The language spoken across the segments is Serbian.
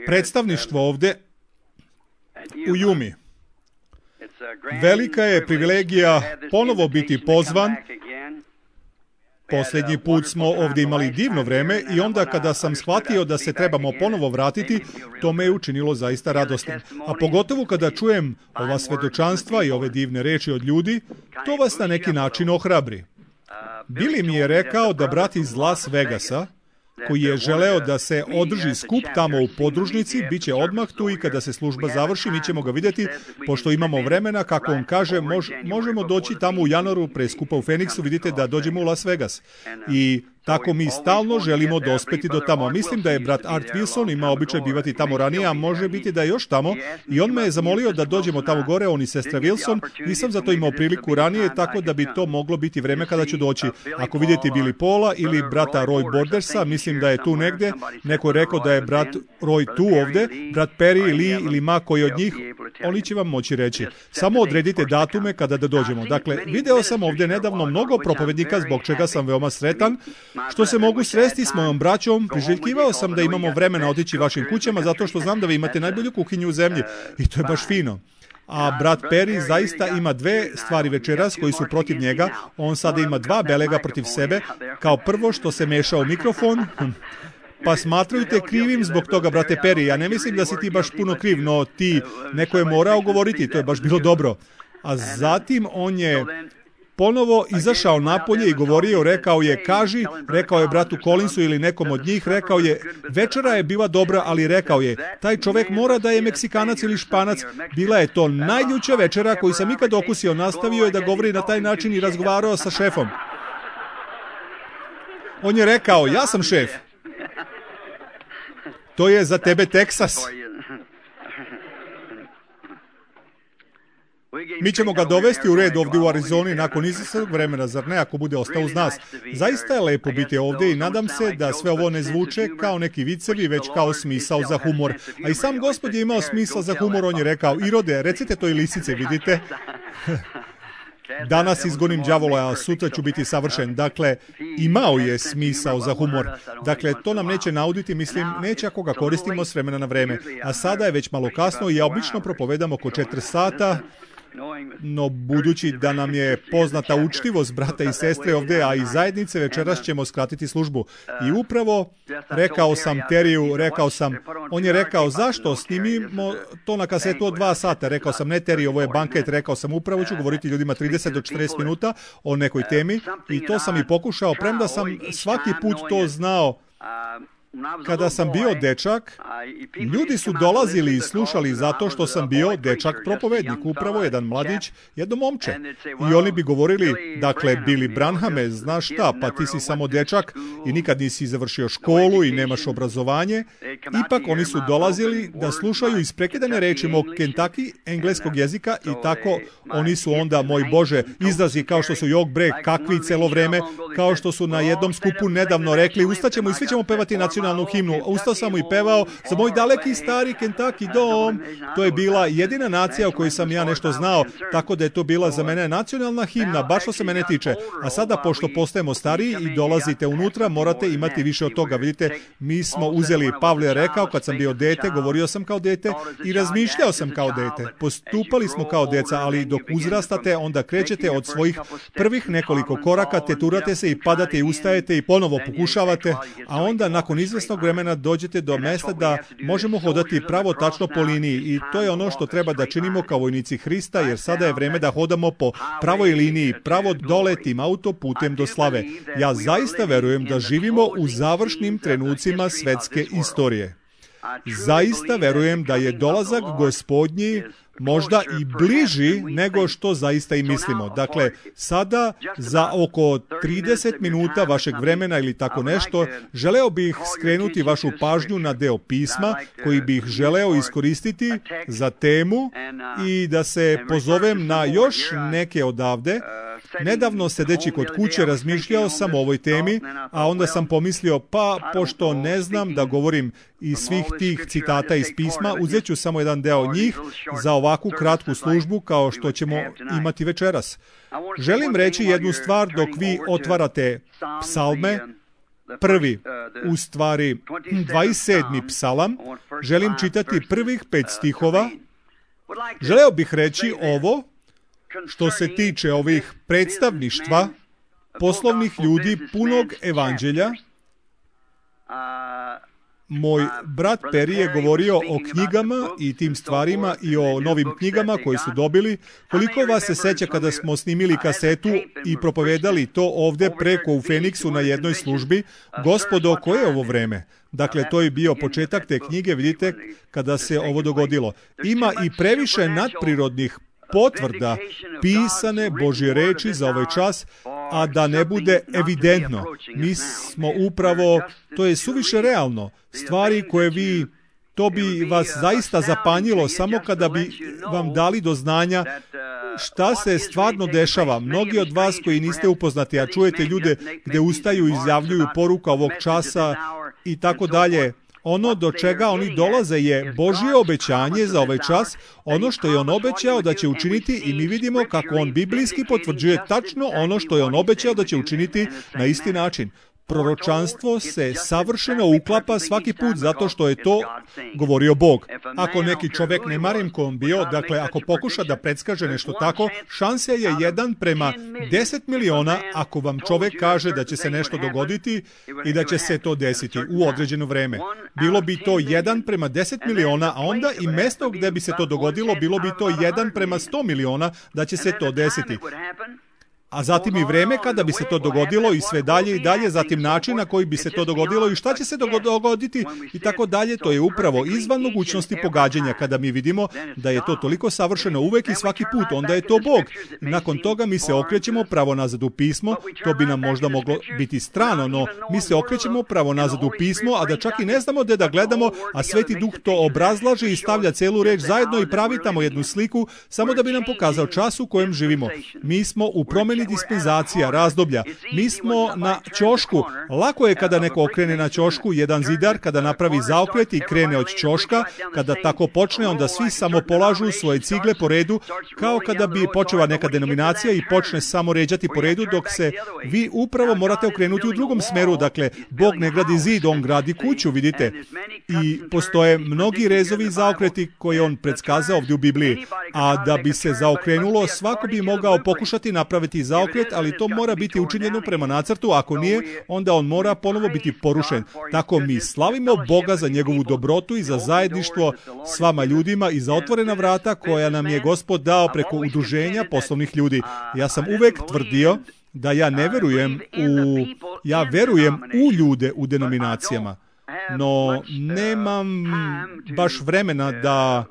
predstavništvo ovde u Jumi. Velika je privilegija ponovo biti pozvan. Posljednji put smo ovdje imali divno vreme i onda kada sam shvatio da se trebamo ponovo vratiti, to me je učinilo zaista radosnim. A pogotovo kada čujem ova svedočanstva i ove divne reči od ljudi, to vas na neki način ohrabri. Billy mi je rekao da brat iz Las Vegasa, koji je želeo da se održi skup tamo u podružnici, bit će odmah tu i kada se služba završi, mi ćemo ga vidjeti, pošto imamo vremena, kako on kaže, možemo doći tamo u januaru pre skupa u Feniksu, vidite da dođemo u Las Vegas. I tako mi stalno želimo dospeti do tamo. Mislim da je brat Art Wilson imao običaj bivati tamo ranije, a može biti da je još tamo. I on me je zamolio da dođemo tamo gore, on i sestra Wilson. Nisam za to imao priliku ranije, tako da bi to moglo biti vreme kada ću doći. Ako vidite Billy Paula ili brata Roy Bordersa, mislim da je tu negde. Neko je rekao da je brat Roy tu ovde, brat Perry, Lee ili ma koji od njih, oni će vam moći reći. Samo odredite datume kada da dođemo. Dakle, video sam ovde nedavno mnogo propovednika, zbog čega sam veoma sretan. Što se mogu sresti s mojom braćom, priželjkivao sam da imamo vremena otići vašim kućama, zato što znam da vi imate najbolju kuhinju u zemlji. I to je baš fino. A brat Perry zaista ima dve stvari večeras koji su protiv njega. On sada ima dva belega protiv sebe. Kao prvo što se meša u mikrofon. Pa smatraju te krivim zbog toga, brate Perry. Ja ne mislim da si ti baš puno kriv, no ti neko je morao govoriti, to je baš bilo dobro. A zatim on je ponovo izašao napolje i govorio, rekao je bratu Collinsu ili nekom od njih, rekao je, večera je bila dobra, ali rekao je, taj čovek mora da je Meksikanac ili Španac, bila je to najljuća večera koju sam ikad okusio, nastavio je da govori na taj način i razgovarao sa šefom. On je rekao, ja sam šef. To je za tebe Teksas. Mi ćemo ga dovesti u red ovdje u Arizoni nakon izvesnog vremena, zar ne, ako bude ostao uz nas. Zaista je lepo biti ovdje i nadam se da sve ovo ne zvuče kao neki vicevi, već kao smisao za humor. A i sam Gospod je imao smisao za humor, on je rekao, Irode, recite to i lisice, vidite. Danas izgonim đavola, a sutra ću biti savršen. Dakle, imao je smisao za humor. Dakle, to nam neće nauditi, mislim, neće ako ga koristimo s vremena na vreme. A sada je već malo kasno i ja obično propovedam oko 4 sata, no budući da nam je poznata učtivost brata i sestre ovdje, a i zajednice, večeras ćemo skratiti službu. I upravo rekao sam Teriju, on je rekao, zašto snimimo to na kasetu od 2 sata? Rekao sam, ne Teriju, ovo je banket, rekao sam, upravo ću govoriti ljudima 30 do 40 minuta o nekoj temi i to sam i pokušao, premda sam svaki put to znao. Kada sam bio dečak, ljudi su dolazili i slušali zato što sam bio dečak propovednik, upravo jedan mladić, jedno momče. I oni bi govorili, dakle, Billy Branhame, znaš šta, pa ti si samo dečak i nikad nisi završio školu i nemaš obrazovanje. Ipak oni su dolazili da slušaju isprekidane reči mog Kentucky, engleskog jezika i tako oni su onda, moj Bože, izrazi kao što su jog bre, kakvi celo vreme, kao što su na jednom skupu nedavno rekli, ustaćemo i svi ćemo pevati nacionalnu himnu. Ustao sam i pevao za moj daleki stari Kentucky dom. To je bila jedina nacija o kojoj sam ja nešto znao, tako da je to bila za mene nacionalna himna, baš što se mene tiče. A sada, pošto postajemo stariji i dolazite unutra, morate imati više od toga. Vidite, mi smo uzeli, Pavle je rekao, kad sam bio dete, govorio sam kao dete i razmišljao sam kao dete. Postupali smo kao deca, ali dok uzrastate, onda krećete od svojih prvih nekoliko koraka, teturate se i padate i ustajete i ponovo pokušavate, a onda nakon izvesnog vremena dođete do mesta da možemo hodati pravo tačno po liniji i to je ono što treba da činimo kao vojnici Hrista, jer sada je vreme da hodamo po pravoj liniji, pravo dole tim autoputem do slave. Ja zaista verujem da živimo u završnim trenucima svetske istorije. Zaista verujem da je dolazak Gospodnji možda i bliži nego što zaista i mislimo. Dakle, sada za oko 30 minuta vašeg vremena ili tako nešto, želeo bih skrenuti vašu pažnju na deo pisma koji bih želeo iskoristiti za temu i da se pozovem na još neke odavde. Nedavno sedeći kod kuće razmišljao sam o ovoj temi, a onda sam pomislio, pa pošto ne znam da govorim iz svih tih citata iz pisma, uzet ću samo jedan deo njih za ovakvu kratku službu kao što ćemo imati večeras. Želim reći jednu stvar dok vi otvarate psalme. prvi, u stvari 27. psalam, želim čitati prvih 5 stihova. Želeo bih reći ovo što se tiče ovih predstavništva poslovnih ljudi punog evanđelja. Moj brat Peri je govorio o knjigama i tim stvarima i o novim knjigama koje su dobili. Koliko vas se seća kada smo snimili kasetu i propovedali to ovde preko u Feniksu na jednoj službi? Gospodo, koje je ovo vreme? Dakle, to je bio početak te knjige, vidite, kada se ovo dogodilo. Ima i previše nadprirodnih potvrda pisane Božje reči za ovaj čas, a da ne bude evidentno. Mi smo upravo, to je suviše realno, stvari koje vi, to bi vas zaista zapanjilo samo kada bi vam dali do znanja šta se stvarno dešava. Mnogi od vas koji niste upoznati, a čujete ljude gde ustaju i izjavljuju poruka ovog časa i tako dalje, ono do čega oni dolaze je Božje obećanje za ovaj čas, ono što je on obećao da će učiniti i mi vidimo kako on biblijski potvrđuje tačno ono što je on obećao da će učiniti na isti način. Proročanstvo se savršeno uklapa svaki put zato što je to govorio Bog. Ako neki čovek, ne marim ko on bio, dakle ako pokuša da predskaže nešto tako, šansa je 1:10 miliona ako vam čovek kaže da će se nešto dogoditi i da će se to desiti u određeno vreme. Bilo bi to 1:10 miliona, a onda i mesto gde bi se to dogodilo bilo bi to 1:100 miliona da će se to desiti. A zatim i vreme kada bi se to dogodilo i sve dalje i dalje, zatim način na koji bi se to dogodilo i šta će se dogoditi i tako dalje, to je upravo izvan mogućnosti pogađanja. Kada mi vidimo da je to toliko savršeno uvek i svaki put, onda je to Bog. Nakon toga mi se okrećemo pravo nazad u pismo, to bi nam možda moglo biti strano, no mi se okrećemo pravo nazad u pismo, a da čak i ne znamo gde da gledamo, a Sveti Duh to obrazlaže i stavlja celu reč zajedno i pravi tamo jednu sliku, samo da bi nam pokazao čas u kojem živimo. Mi smo u promeni dispenzacija, razdoblja. Mi smo na ćošku. Lako je kada neko okrene na ćošku, jedan zidar kada napravi zaokret i krene od ćoška, kada tako počne, onda svi samo polažu svoje cigle po redu, kao kada bi počela neka denominacija i počne samo ređati po redu, dok se vi upravo morate okrenuti u drugom smeru. Dakle, Bog ne gradi zid, on gradi kuću, vidite. I postoje mnogi rezovi i zaokreti koje on predskazao ovdje u Bibliji. A da bi se zaokrenulo, svako bi mogao pokušati napraviti zaokret, ali to mora biti učinjeno prema nacrtu, ako nije, onda on mora ponovo biti porušen. Tako mi slavimo Boga za njegovu dobrotu i za zajedništvo s vama ljudima i za otvorena vrata koja nam je Gospod dao preko udruženja poslovnih ljudi. Ja sam uvek tvrdio da ja ne verujem ja verujem u ljude u denominacijama, no nemam baš vremena da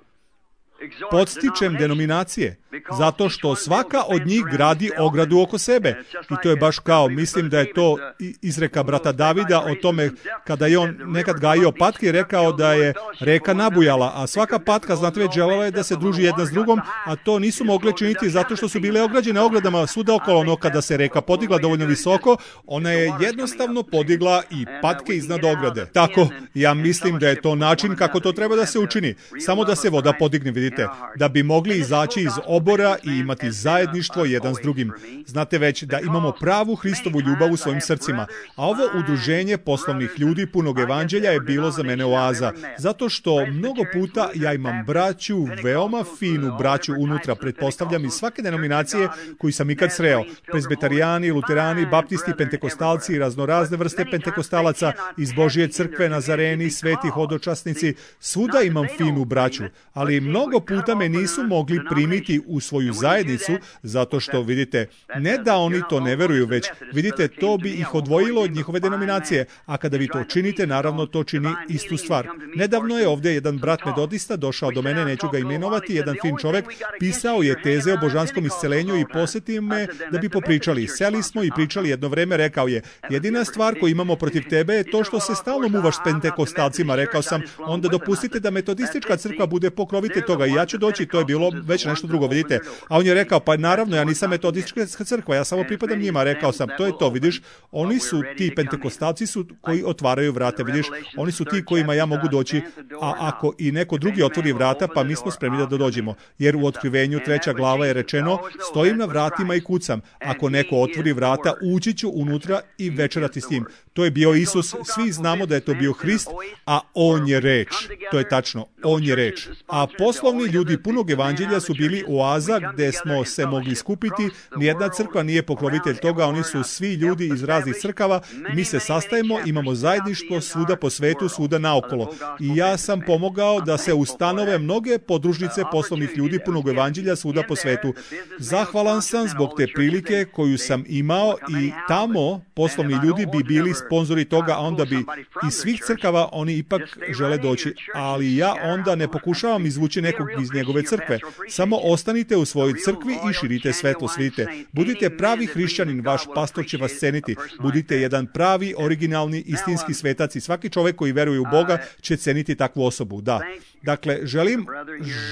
podstičem denominacije, zato što svaka od njih gradi ogradu oko sebe. I to je baš kao, mislim da je to izreka brata Davida o tome kada je on nekad gajio patke i rekao da je reka nabujala, a svaka patka, znate već, želela je da se druži jedna s drugom, a to nisu mogle činiti zato što su bile ograđene ogradama svuda okolo. No kada se reka podigla dovoljno visoko, ona je jednostavno podigla i patke iznad ograde. Tako, ja mislim da je to način kako to treba da se učini. Samo da se voda podigne, vidite, da bi mogli izaći iz obora i imati zajedništvo jedan s drugim. Znate već da imamo pravu Hristovu ljubav u svojim srcima. A ovo udruženje poslovnih ljudi punog evanđelja je bilo za mene oaza. Zato što mnogo puta ja imam braću, veoma finu braću unutra, pretpostavljam iz svake denominacije koju sam ikad sreo. Prezbetarijani, luterani, baptisti, pentekostalci, raznorazne vrste pentekostalaca, iz Božje crkve, nazareni, sveti hodočasnici. Svuda imam finu braću, ali mnogo puta me nisu mogli primiti u svoju zajednicu, zato što, vidite, ne da oni to ne veruju, već, vidite, to bi ih odvojilo od njihove denominacije, a kada vi to činite, naravno to čini istu stvar. Nedavno je ovdje jedan brat metodista došao do mene, neću ga imenovati, jedan fin čovek, pisao je teze o božanskom iscelenju i posjetio me da bi popričali. Seli smo i pričali jedno vreme, rekao je, jedina stvar koju imamo protiv tebe je to što se stalno muvaš s pentekostalcima. Rekao sam, onda dopustite da metodistička crkva bude pokrovitelj toga i ja ću doći, to je bilo već nešto drugo, vidite. A on je rekao, pa naravno, ja nisam metodistička crkva, ja samo pripadam njima. Rekao sam, to je to, vidiš, oni su ti pentekostalci koji otvaraju vrata, vidiš, oni su ti kojima ja mogu doći, a ako i neko drugi otvori vrata, pa mi smo spremni da dođemo. Jer u Otkrivenju 3. glava je rečeno, stojim na vratima i kucam, ako neko otvori vrata, ući ću unutra i večerati s njim. To To je bio Isus, svi znamo da je to bio Hrist, a On je reč. To je tačno, On je reč. A poslovni ljudi punog evanđelja su bili oaza gdje smo se mogli skupiti. Nijedna crkva nije pokrovitelj toga, oni su svi ljudi iz raznih crkava. Mi se sastajemo, imamo zajedništvo svuda po svetu, svuda naokolo. I ja sam pomogao da se ustanove mnoge podružnice poslovnih ljudi punog evanđelja svuda po svetu. Zahvalan sam zbog te prilike koju sam imao i tamo poslovni ljudi bi bili sponzori toga, a onda bi iz svih crkava oni ipak žele doći, ali ja onda ne pokušavam izvući nekog iz njegove crkve. Samo ostanite u svojoj crkvi i širite svetlo svite. Budite pravi hrišćanin, vaš pastor će vas ceniti. Budite jedan pravi, originalni, istinski svetac i svaki čovjek koji veruje u Boga će ceniti takvu osobu. Da. Dakle,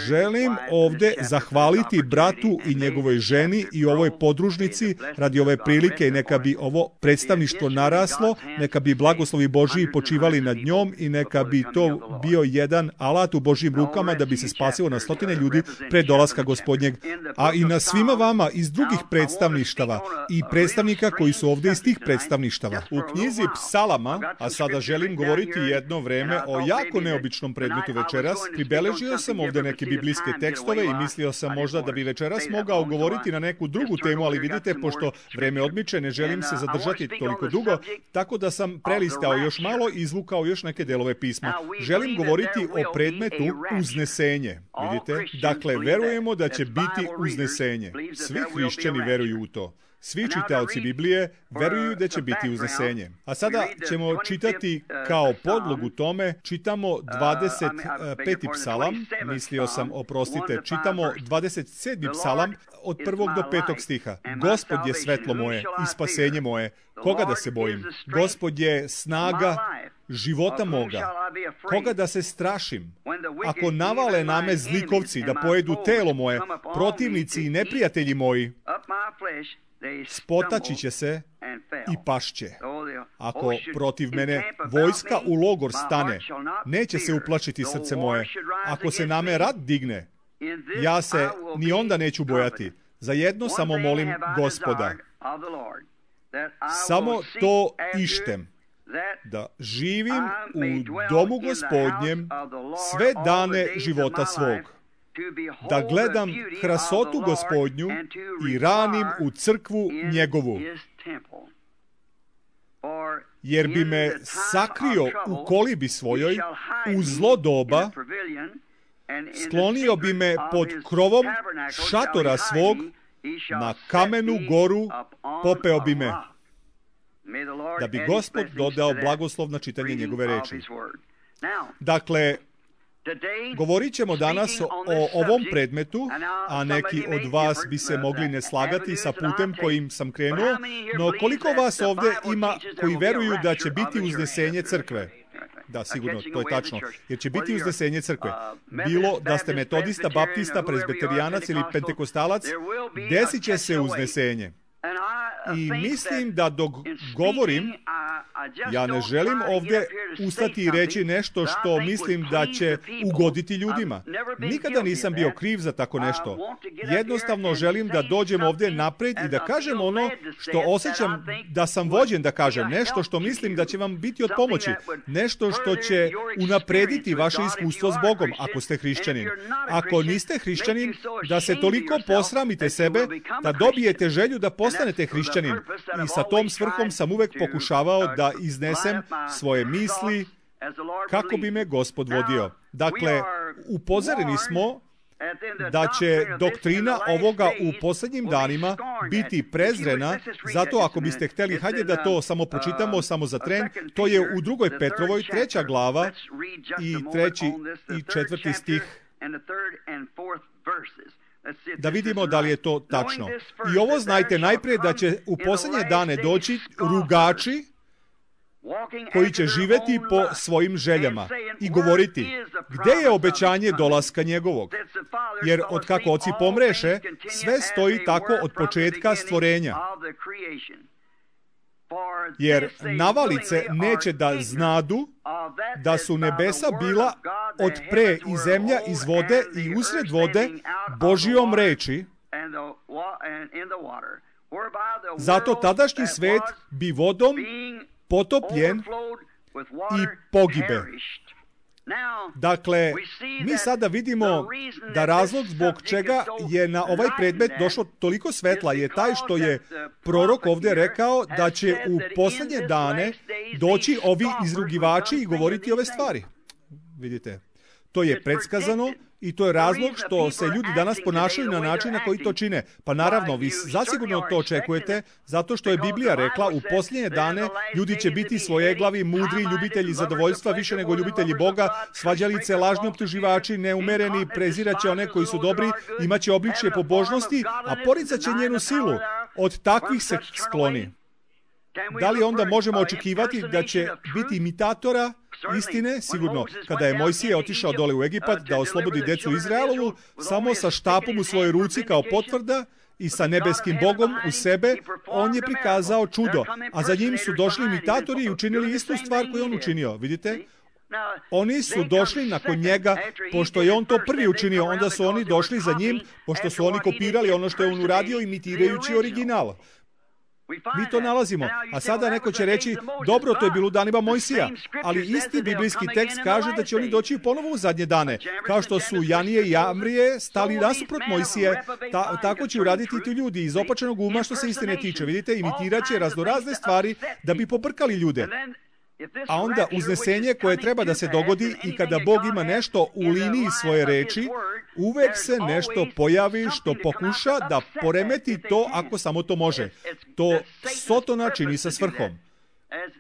želim ovdje zahvaliti bratu i njegovoj ženi i ovoj podružnici radi ove prilike i neka bi ovo predstavništvo naraslo, neka bi blagoslovi Božji počivali nad njom i neka bi to bio jedan alat u Božjim rukama da bi se spasilo na stotine ljudi pred dolaska Gospodnjeg, a i na svima vama iz drugih predstavništava i predstavnika koji su ovdje iz tih predstavništava. U knjizi Psalama, a sada želim govoriti jedno vreme o jako neobičnom predmetu večeras, pribeležio sam ovdje neke biblijske tekstove i mislio sam možda da bi večeras mogao govoriti na neku drugu temu, ali vidite, pošto vreme odmiče, ne želim se zadržati toliko dugo, tako da sam prelistao još malo i izvukao još neke delove pisma. Želim govoriti o predmetu uznesenje. Vidite? Dakle, verujemo da će biti uznesenje. Svi hrišćani veruju u to. Svi čitaoci Biblije veruju da će biti uznesenje. A sada ćemo čitati kao podlogu tome, čitamo 25. psalam, čitamo 27. psalam od 1. do 5. stiha. Gospod je svetlo moje i spasenje moje, koga da se bojim? Gospod je snaga života moga, koga da se strašim? Ako navale na me zlikovci da pojedu telo moje, protivnici i neprijatelji moji, spotaći će se i pašće. Ako protiv mene vojska u logor stane, neće se uplašiti srce moje. Ako se na me rat digne, ja se ni onda neću bojati. Za jedno samo molim Gospoda. Samo to ištem, da živim u domu Gospodnjem sve dane života svog, da gledam krasotu Gospodnju i ranim u crkvu njegovu, jer bi me sakrio u kolibi svojoj u zlo doba, sklonio bi me pod krovom šatora svog, na kamenu goru popeo bi me, da bi Gospod dodao blagoslov na čitanje njegove reči. Dakle, govorit ćemo danas o ovom predmetu, a neki od vas bi se mogli ne slagati sa putem kojim sam krenuo, no koliko vas ovdje ima koji veruju da će biti uznesenje crkve? Da, sigurno, to je tačno. Jer će biti uznesenje crkve. Bilo da ste metodista, baptista, prezbeterijanac ili pentekostalac, desit će se uznesenje. I mislim da dok govorim, ja ne želim ovdje ustati i reći nešto što mislim da će ugoditi ljudima. Nikada nisam bio kriv za tako nešto. Jednostavno želim da dođem ovdje naprijed i da kažem ono što osjećam da sam vođen da kažem. Nešto što mislim da će vam biti od pomoći. Nešto što će unaprediti vaše iskustvo s Bogom, ako ste hrišćanin. Ako niste hrišćanin, da se toliko posramite sebe, da dobijete želju da postanete hrišćanin. I sa tom svrhom sam uvek pokušavao da iznesem svoje misli kako bi me Gospod vodio. Dakle, upozoreni smo da će doktrina ovoga u posljednjim danima biti prezrena, zato ako biste htjeli, hajde da to samo pročitamo, samo za tren, to je u 2. Petrovoj 3. glava i 3. i 4. stih. Da vidimo da li je to tačno. I ovo znajte najprije da će u posljednje dane doći rugači koji će živjeti po svojim željama i govoriti gdje je obećanje dolaska njegovog. Jer od kako oci pomreše, sve stoji tako od početka stvorenja. Jer navalice neće da znadu da su nebesa bila od pre i zemlja iz vode i usred vode Božijom reči, zato tadašnji svet bi vodom potopljen i pogibe. Dakle, mi sada vidimo da razlog zbog čega je na ovaj predmet došlo toliko svetla je taj što je prorok ovdje rekao da će u posljednje dane doći ovi izrugivači i govoriti ove stvari. Vidite, to je predskazano i to je razlog što se ljudi danas ponašaju na način na koji to čine. Pa naravno, vi zasigurno to očekujete, zato što je Biblija rekla u posljednje dane ljudi će biti svojeglavi, mudri, ljubitelji zadovoljstva više nego ljubitelji Boga, svađalice, lažni optuživači, neumereni, preziraće one koji su dobri, imaće obličje pobožnosti, a poricat njenu silu. Od takvih se skloni. Da li onda možemo očekivati da će biti imitatora istine? Sigurno. Kada je Mojsije otišao dole u Egipat da oslobodi decu Izraelovu, samo sa štapom u svojoj ruci kao potvrda i sa nebeskim Bogom u sebe, on je prikazao čudo. A za njim su došli imitatori i učinili istu stvar koju on učinio. Vidite? Oni su došli nakon njega, pošto je on to prvi učinio, onda su oni došli za njim, pošto su oni kopirali ono što je on uradio imitirajući original. Mi to nalazimo. A sada neko će reći, dobro, to je bilo u danima Mojsija, ali isti biblijski tekst kaže da će oni doći ponovo u zadnje dane. Kao što su Janije i Amrije stali nasuprot Mojsije, tako će uraditi ti ljudi iz opačenog uma što se istine tiče. Vidite, imitirat će raznorazne stvari da bi pobrkali ljude. A onda uznesenje koje treba da se dogodi i kada Bog ima nešto u liniji svoje reči, uvek se nešto pojavi što pokuša da poremeti to ako samo to može. To Sotona čini sa svrhom.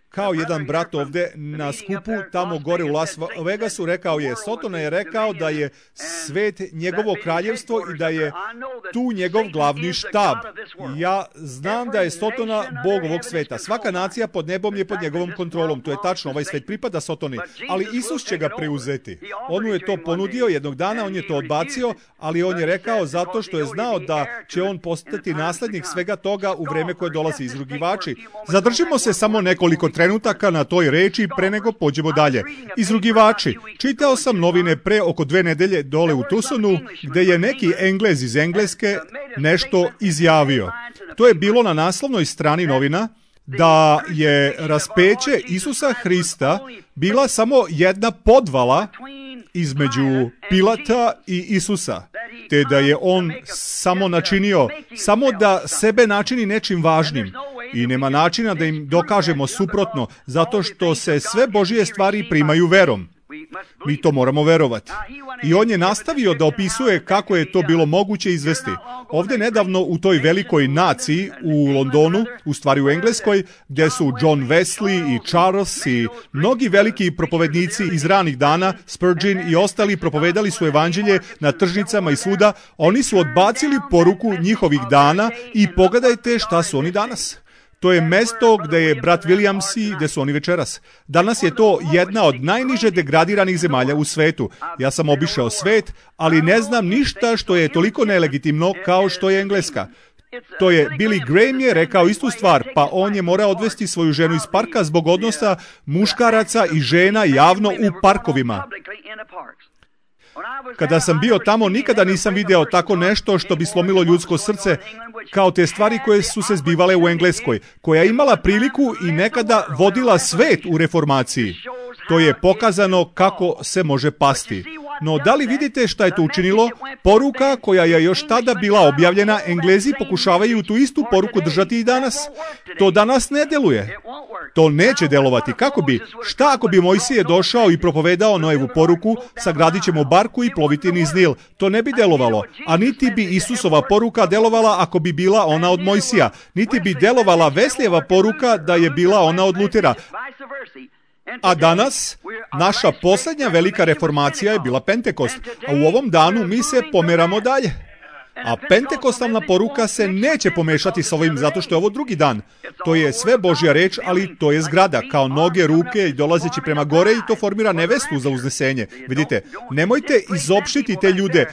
Kao jedan brat ovdje na skupu tamo gore u Las Vegasu rekao je, Sotona je rekao da je svet njegovo kraljevstvo i da je tu njegov glavni štab. Ja znam da je Sotona Bog ovog sveta. Svaka nacija pod nebom je pod njegovom kontrolom. To je tačno, ovaj svet pripada Sotoni. Ali Isus će ga preuzeti. On mu je to ponudio jednog dana, on je to odbacio, ali on je rekao zato što je znao da će on postati naslednik svega toga u vreme koje dolazi. Izrugivači. Zadržimo se samo nekoliko trenutaka na toj reči pre nego pođemo dalje. Izrugivači. Čitao sam novine pre oko 2 nedelje dole u Tucsonu, gde je neki Englez iz Engleske nešto izjavio. To je bilo na naslovnoj strani novina, da je raspeće Isusa Hrista bila samo jedna podvala između Pilata i Isusa, te da je on samo načinio, samo da sebe načini nečim važnim. I nema načina da im dokažemo suprotno, zato što se sve Božje stvari primaju verom. Mi to moramo verovati. I on je nastavio da opisuje kako je to bilo moguće izvesti. Ovdje nedavno u toj velikoj naciji u Londonu, u stvari u Engleskoj, gdje su John Wesley i Charles i mnogi veliki propovednici iz ranih dana, Spurgeon i ostali propovedali su evanđelje na tržnicama i svuda, oni su odbacili poruku njihovih dana i pogledajte šta su oni danas. To je mesto gdje je brat Williams i gdje su oni večeras. Danas je to jedna od najniže degradiranih zemalja u svetu. Ja sam obišao svet, ali ne znam ništa što je toliko nelegitimno kao što je Engleska. To je Billy Graham je rekao istu stvar, pa on je morao odvesti svoju ženu iz parka zbog odnosa muškaraca i žena javno u parkovima. Kada sam bio tamo, nikada nisam video tako nešto što bi slomilo ljudsko srce, kao te stvari koje su se zbivale u Engleskoj, koja je imala priliku i nekada vodila svet u reformaciji. To je pokazano kako se može pasti. No, da li vidite šta je to učinilo? Poruka koja je još tada bila objavljena, Englezi pokušavaju tu istu poruku držati i danas. To danas ne deluje. To neće delovati. Kako bi? Šta ako bi Mojsije došao i propovedao Noevu poruku, sagradit ćemo barku i ploviti niz Nil? To ne bi delovalo. A niti bi Isusova poruka delovala ako bi bila ona od Mojsija. Niti bi delovala Veslijeva poruka da je bila ona od Lutera. A danas, naša posljednja velika reformacija je bila Pentekost, a u ovom danu mi se pomeramo dalje. A pentekostalna poruka se neće pomešati s ovim zato što je ovo drugi dan. To je sve Božja reč, ali to je zgrada, kao noge, ruke i dolazeći prema gore i to formira nevestu za uznesenje. Vidite, nemojte izopštiti te ljude.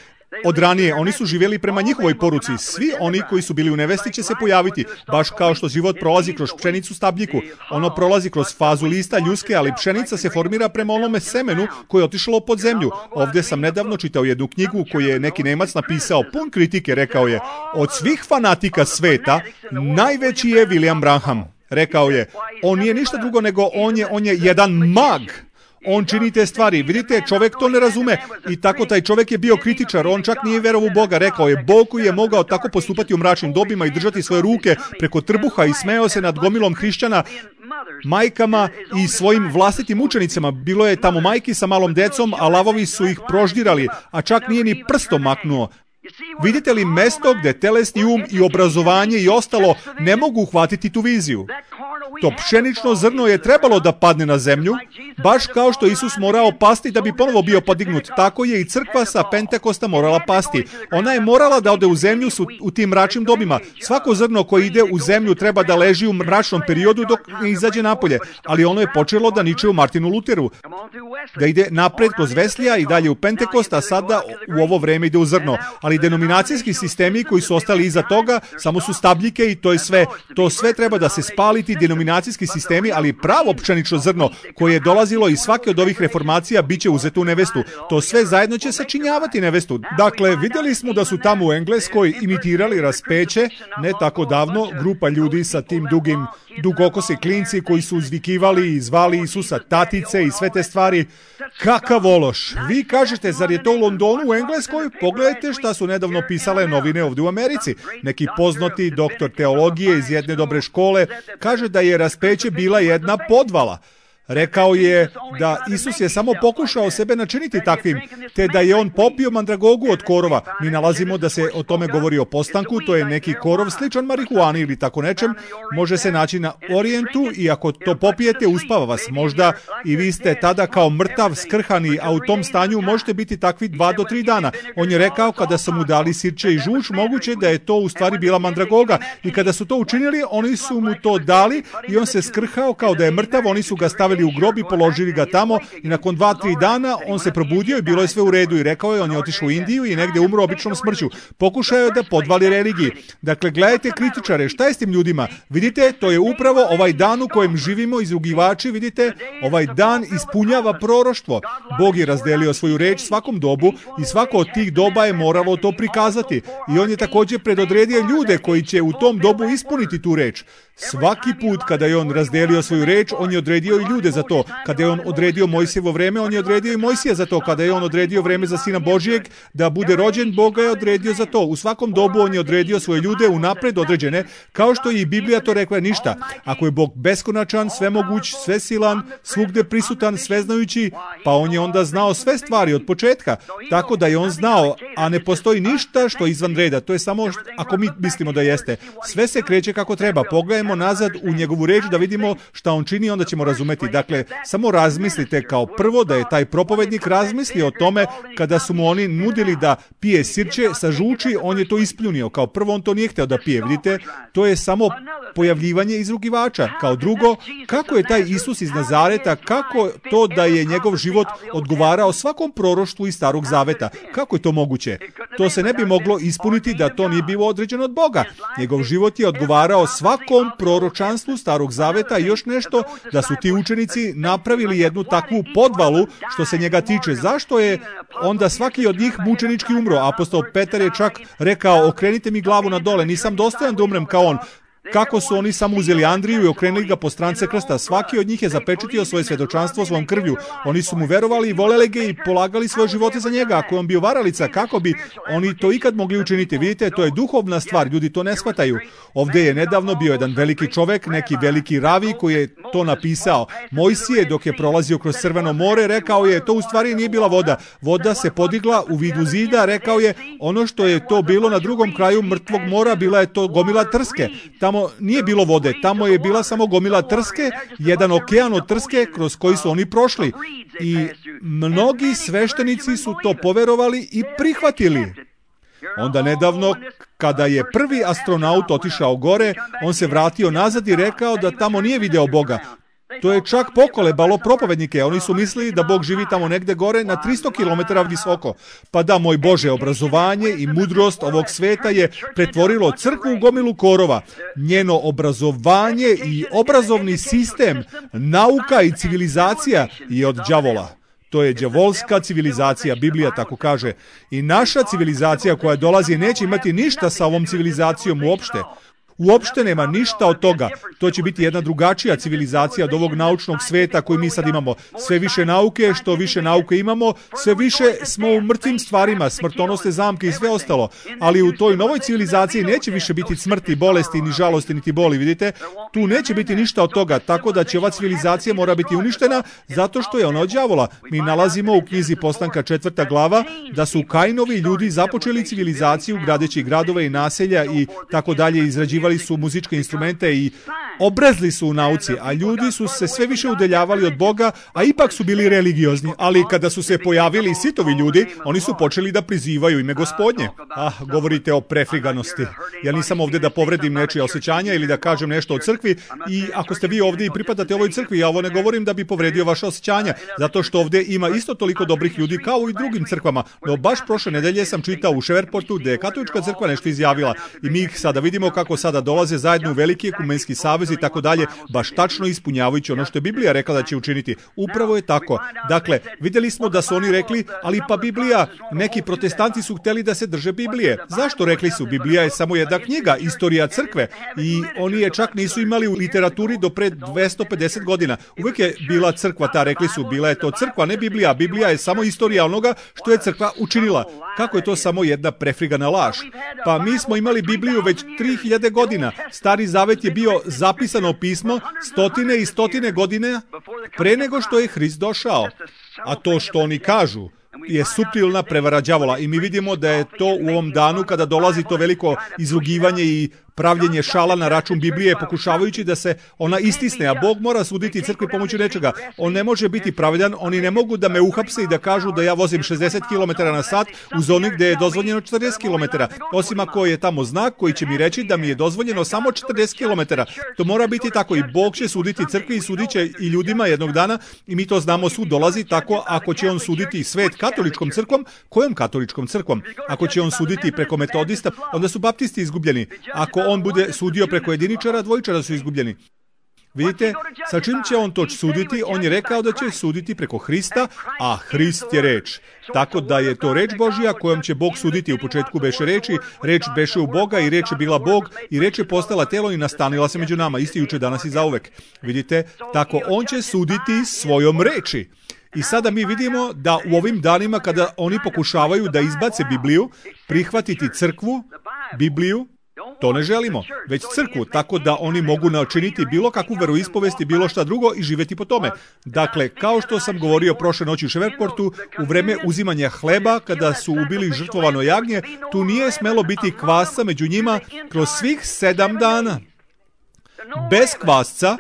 Od ranije, oni su živjeli prema njihovoj poruci. Svi oni koji su bili u nevesti će se pojaviti, baš kao što život prolazi kroz pšenicu stabljiku. Ono prolazi kroz fazu lista ljuske, ali pšenica se formira prema onome semenu koje je otišlo pod zemlju. Ovdje sam nedavno čitao jednu knjigu koju je neki Nemac napisao, pun kritike, rekao je, od svih fanatika sveta, najveći je William Branham. Rekao je, on nije ništa drugo nego on je jedan mag. On čini te stvari. Vidite, čovjek to ne razume i tako taj čovjek je bio kritičar. On čak nije vjerovao u Boga. Rekao je, Bog koji je mogao tako postupati u mračnim dobima i držati svoje ruke preko trbuha i smejao se nad gomilom hrišćana, majkama i svojim vlastitim učenicima. Bilo je tamo majki sa malom decom, a lavovi su ih proždirali, a čak nije ni prstom maknuo. Vidite li mesto gdje telesni um i obrazovanje i ostalo ne mogu uhvatiti tu viziju? To pšenično zrno je trebalo da padne na zemlju, baš kao što Isus morao pasti da bi ponovo bio podignut. Tako je i crkva sa Pentekosta morala pasti. Ona je morala da ode u zemlju u tim mračnim dobima. Svako zrno koje ide u zemlju treba da leži u mračnom periodu dok ne izađe napolje. Ali ono je počelo da niče u Martinu Luteru, da ide napred kroz Veslija i dalje u Pentekost, a sada u ovo vreme ide u zrno. Ali denominacijski sistemi koji su ostali iza toga samo su stabljike i to je sve. To sve treba da se spaliti, denominacijski sistemi, ali pravo pšenično zrno koje je dolazilo iz svake od ovih reformacija biće uzeto u nevestu. To sve zajedno će sačinjavati nevestu. Dakle, vidjeli smo da su tamo u Engleskoj imitirali raspeće, ne tako davno, grupa ljudi sa tim dugokosi klinci koji su uzvikivali i zvali Isusa tatice i sve te stvari. Kakav ološ! Vi kažete, zar je to u Londonu, u Engleskoj? Pogledajte šta su nedavno pisale novine ovdje u Americi. Neki poznati doktor teologije iz jedne dobre škole kaže da je raspeće bila jedna podvala. Rekao je da Isus je samo pokušao sebe načiniti takvim, te da je on popio mandragogu od korova. Mi nalazimo da se o tome govori o postanku, to je neki korov sličan marihuani ili tako nečem. Može se naći na Orijentu i ako to popijete, uspava vas. Možda i vi ste tada kao mrtav, skrhani, a u tom stanju možete biti takvi 2 do 3 dana. On je rekao kada su mu dali sirće i žuč, moguće da je to u stvari bila mandragoga. I kada su to učinili, oni su mu to dali i on se skrhao kao da je mrtav, oni su ga stavili u grob i položili ga tamo i nakon 2-3 dana on se probudio i bilo je sve u redu i rekao je, on je otišao u Indiju i negdje umro običnom smrću. Pokušao je da podvali religiji. Dakle, gledajte kritičare, šta je s tim ljudima? Vidite, to je upravo ovaj dan u kojem živimo, izrugivači, vidite, ovaj dan ispunjava proroštvo. Bog je razdelio svoju reč svakom dobu i svako od tih doba je moralo to prikazati. I on je također predodredio ljude koji će u tom dobu ispuniti tu reč. Svaki put kada je on razdelio svoju reč, on je odredio i ljude za to. Kada je on odredio Mojsijevo vreme, on je odredio i Mojsija za to. Kada je on odredio vreme za Sina Božijeg da bude rođen, Bog ga je odredio za to. U svakom dobu on je odredio svoje ljude unapred određene, kao što je i Biblija to rekla ništa. Ako je Bog beskonačan, svemoguć, svesilan, svugde prisutan, sveznajući, pa on je onda znao sve stvari od početka. Tako da je on znao, a ne postoji ništa što je izvan reda. To je samo ako mi mislimo da jeste. Sve se kreće kako treba. Pogledajmo nazad u njegovu reč da vidimo šta on čini, onda ćemo razumeti. Dakle, samo razmislite kao prvo da je taj propovednik razmislio o tome kada su mu oni nudili da pije sirće sa žuči, on je to ispljunio. Kao prvo on to nije htio da pije. Vidite, to je samo pojavljivanje izrugivača. Kao drugo, kako je taj Isus iz Nazareta, kako to da je njegov život odgovarao svakom proroštvu iz Starog Zaveta? Kako je to moguće? To se ne bi moglo ispuniti da to nije bilo određeno od Boga. Njegov život je odgovarao svakom proročanstvu Starog Zaveta i još nešto, da su ti učenici napravili jednu takvu podvalu što se njega tiče. Zašto je onda svaki od njih mučenički umro? Apostol Petar je čak rekao, okrenite mi glavu na dole, nisam dostojan da umrem kao on. Kako su oni samo uzeli Andriju i okrenuli ga po strance krsta. Svaki od njih je zapečatio svoje svjedočanstvo svojom krvlju. Oni su mu verovali i voleli ga i polagali svoje živote za njega. Ako je on bio varalica, kako bi oni to ikad mogli učiniti? Vidite, to je duhovna stvar, ljudi to ne shvataju. Ovdje je nedavno bio jedan veliki čovjek, neki veliki ravi koji je to napisao. Mojsije, dok je prolazio kroz Crveno more, rekao je, to u stvari nije bila voda. Voda se podigla u vidu zida, rekao je, ono što je to bilo na drugom kraju mrtvog mora, bila je to gomila trske. Tamo nije bilo vode, tamo je bila samo gomila trske, jedan okean od trske kroz koji su oni prošli. I mnogi sveštenici su to poverovali i prihvatili. Onda nedavno, kada je prvi astronaut otišao gore, on se vratio nazad i rekao da tamo nije video Boga. To je čak pokolebalo propovednike. Oni su mislili da Bog živi tamo negde gore na 300 km visoko. Pa da, moj Bože, obrazovanje i mudrost ovog sveta je pretvorilo crkvu u gomilu korova. Njeno obrazovanje i obrazovni sistem, nauka i civilizacija je od đavola. To je đavolska civilizacija, Biblija tako kaže. I naša civilizacija koja dolazi neće imati ništa sa ovom civilizacijom uopšte. Uopšte nema ništa od toga. To će biti jedna drugačija civilizacija od ovog naučnog sveta koji mi sad imamo. Sve više nauke, što više nauke imamo, sve više smo u mrtvim stvarima, smrtonosne zamke i sve ostalo. Ali u toj novoj civilizaciji neće više biti smrti, bolesti, ni žalosti, niti boli, vidite? Tu neće biti ništa od toga, tako da će ova civilizacija mora biti uništena zato što je ona od đavola. Mi nalazimo u knjizi Postanka 4. glava da su Kainovi ljudi započeli civilizaciju gradeći gradove i naselja i tako dalje, izrađivali su muzičke instrumente i obrezli su u nauci, a ljudi su se sve više udaljavali od Boga, a ipak su bili religiozni. Ali kada su se pojavili sitovi ljudi, oni su počeli da prizivaju ime Gospodnje. Govorite o prefriganosti. Ja nisam ovdje da povredim nečije osjećanja ili da kažem nešto o crkvi, i ako ste vi ovdje i pripadate ovoj crkvi, ja ovo ne govorim da bi povredio vaše osjećanja, zato što ovdje ima isto toliko dobrih ljudi kao i drugim crkvama. No baš prošle nedelje sam čitao u Ševerportu gdje je katolička crkva nešto izjavila i mi ih sada vidimo kako sada dolaze zajedno u veliki ekumenski savez i tako dalje, baš tačno ispunjavajući ono što je Biblija rekla da će učiniti. Upravo je tako. Dakle, vidjeli smo da su oni rekli, ali pa Biblija, neki protestanti su htjeli da se drže Biblije. Zašto rekli su? Biblija je samo jedna knjiga, istorija crkve, i oni je čak nisu imali u literaturi do pred 250 godina. Uvijek je bila crkva ta, rekli su, bila je to crkva, ne Biblija. Biblija je samo istorija onoga što je crkva učinila. Kako je to samo jedna prefrigana laž? Pa mi smo imali Bibliju već 3000 godina. Stari zavet je bio zapisano pismo stotine i stotine godina pre nego što je Hrist došao. A to što oni kažu je suptilna prevara đavola i mi vidimo da je to u ovom danu kada dolazi to veliko izrugivanje i pravljenje šala na račun Biblije, pokušavajući da se ona istisne, a Bog mora suditi crkvi pomoću nečega. On ne može biti pravedan, oni ne mogu da me uhapse i da kažu da ja vozim 60 km na sat u zoni gdje je dozvoljeno 40 km. Osim ako je tamo znak koji će mi reći da mi je dozvoljeno samo 40 km. To mora biti tako i Bog će suditi crkvi i sudit će i ljudima jednog dana i mi to znamo, sud dolazi tako. Ako će on suditi svet katoličkom crkvom, kojom katoličkom crkvom? Ako će on suditi preko metodista, onda su baptisti izgubljeni. Ako on bude sudio preko jediničara, dvojičara su izgubljeni. Vidite, sa čim će on to suditi? On je rekao da će suditi preko Hrista, a Hrist je reč. Tako da je to reč Božja kojom će Bog suditi. U početku beše reči, reč beše u Boga i reč je bila Bog i reč je postala telo i nastanila se među nama, isti juče, danas i zauvek. Vidite, tako on će suditi svojom reči. I sada mi vidimo da u ovim danima kada oni pokušavaju da izbace Bibliju, prihvatiti crkvu, Bibliju, to ne želimo, već crkvu, tako da oni mogu načiniti bilo kakvu veroispovest i bilo šta drugo i živjeti po tome. Dakle, kao što sam govorio prošle noći u Ševerportu, u vreme uzimanja hleba, kada su ubili žrtvovano jagnje, tu nije smelo biti kvasca među njima kroz svih 7 dana. Bez kvasca,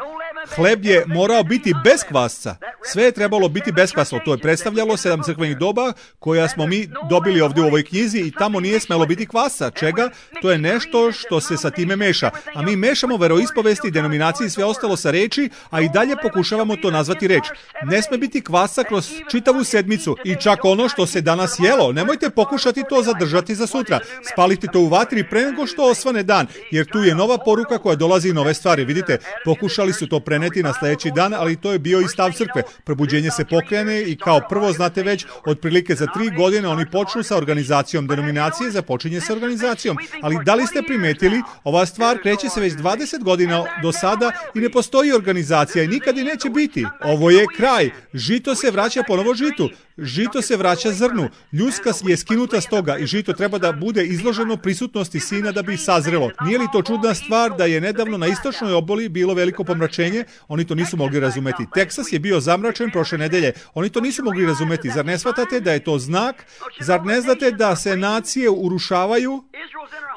hleb je morao biti bez kvasca. Sve je trebalo biti beskvasno. To je predstavljalo 7 crkvenih doba koja smo mi dobili ovdje u ovoj knjizi i tamo nije smelo biti kvasca. Čega? To je nešto što se sa time meša. A mi mešamo veroispovesti, denominacije i sve ostalo sa reči, a i dalje pokušavamo to nazvati reč. Ne sme biti kvasca kroz čitavu sedmicu i čak ono što se danas jelo. Nemojte pokušati to zadržati za sutra. Spalite to u vatri pre nego što osvane dan, jer tu je nova poruka koja dolazi i nove stvari. Vidite, pokušali su to preneti na sljedeći dan, ali to je bio i stav crkve. Probuđenje se pokrene i kao prvo, znate već, otprilike za 3 godine oni počnu sa organizacijom denominacije, započinje sa organizacijom. Ali da li ste primetili, ova stvar kreće se već 20 godina do sada i ne postoji organizacija i nikad i neće biti. Ovo je kraj. Žito se vraća ponovo žitu. Žito se vraća zrnu. Ljuska je skinuta s toga i žito treba da bude izloženo prisutnosti sina da bi sazrelo. Nije li to čudna stvar da je nedavno na istočnoj obali bilo veliko pomračenje? Oni to nisu mogli razumeti. Teksas je bio zamračen prošle nedelje. Oni to nisu mogli razumeti. Zar ne shvatate da je to znak? Zar ne znate da se nacije urušavaju?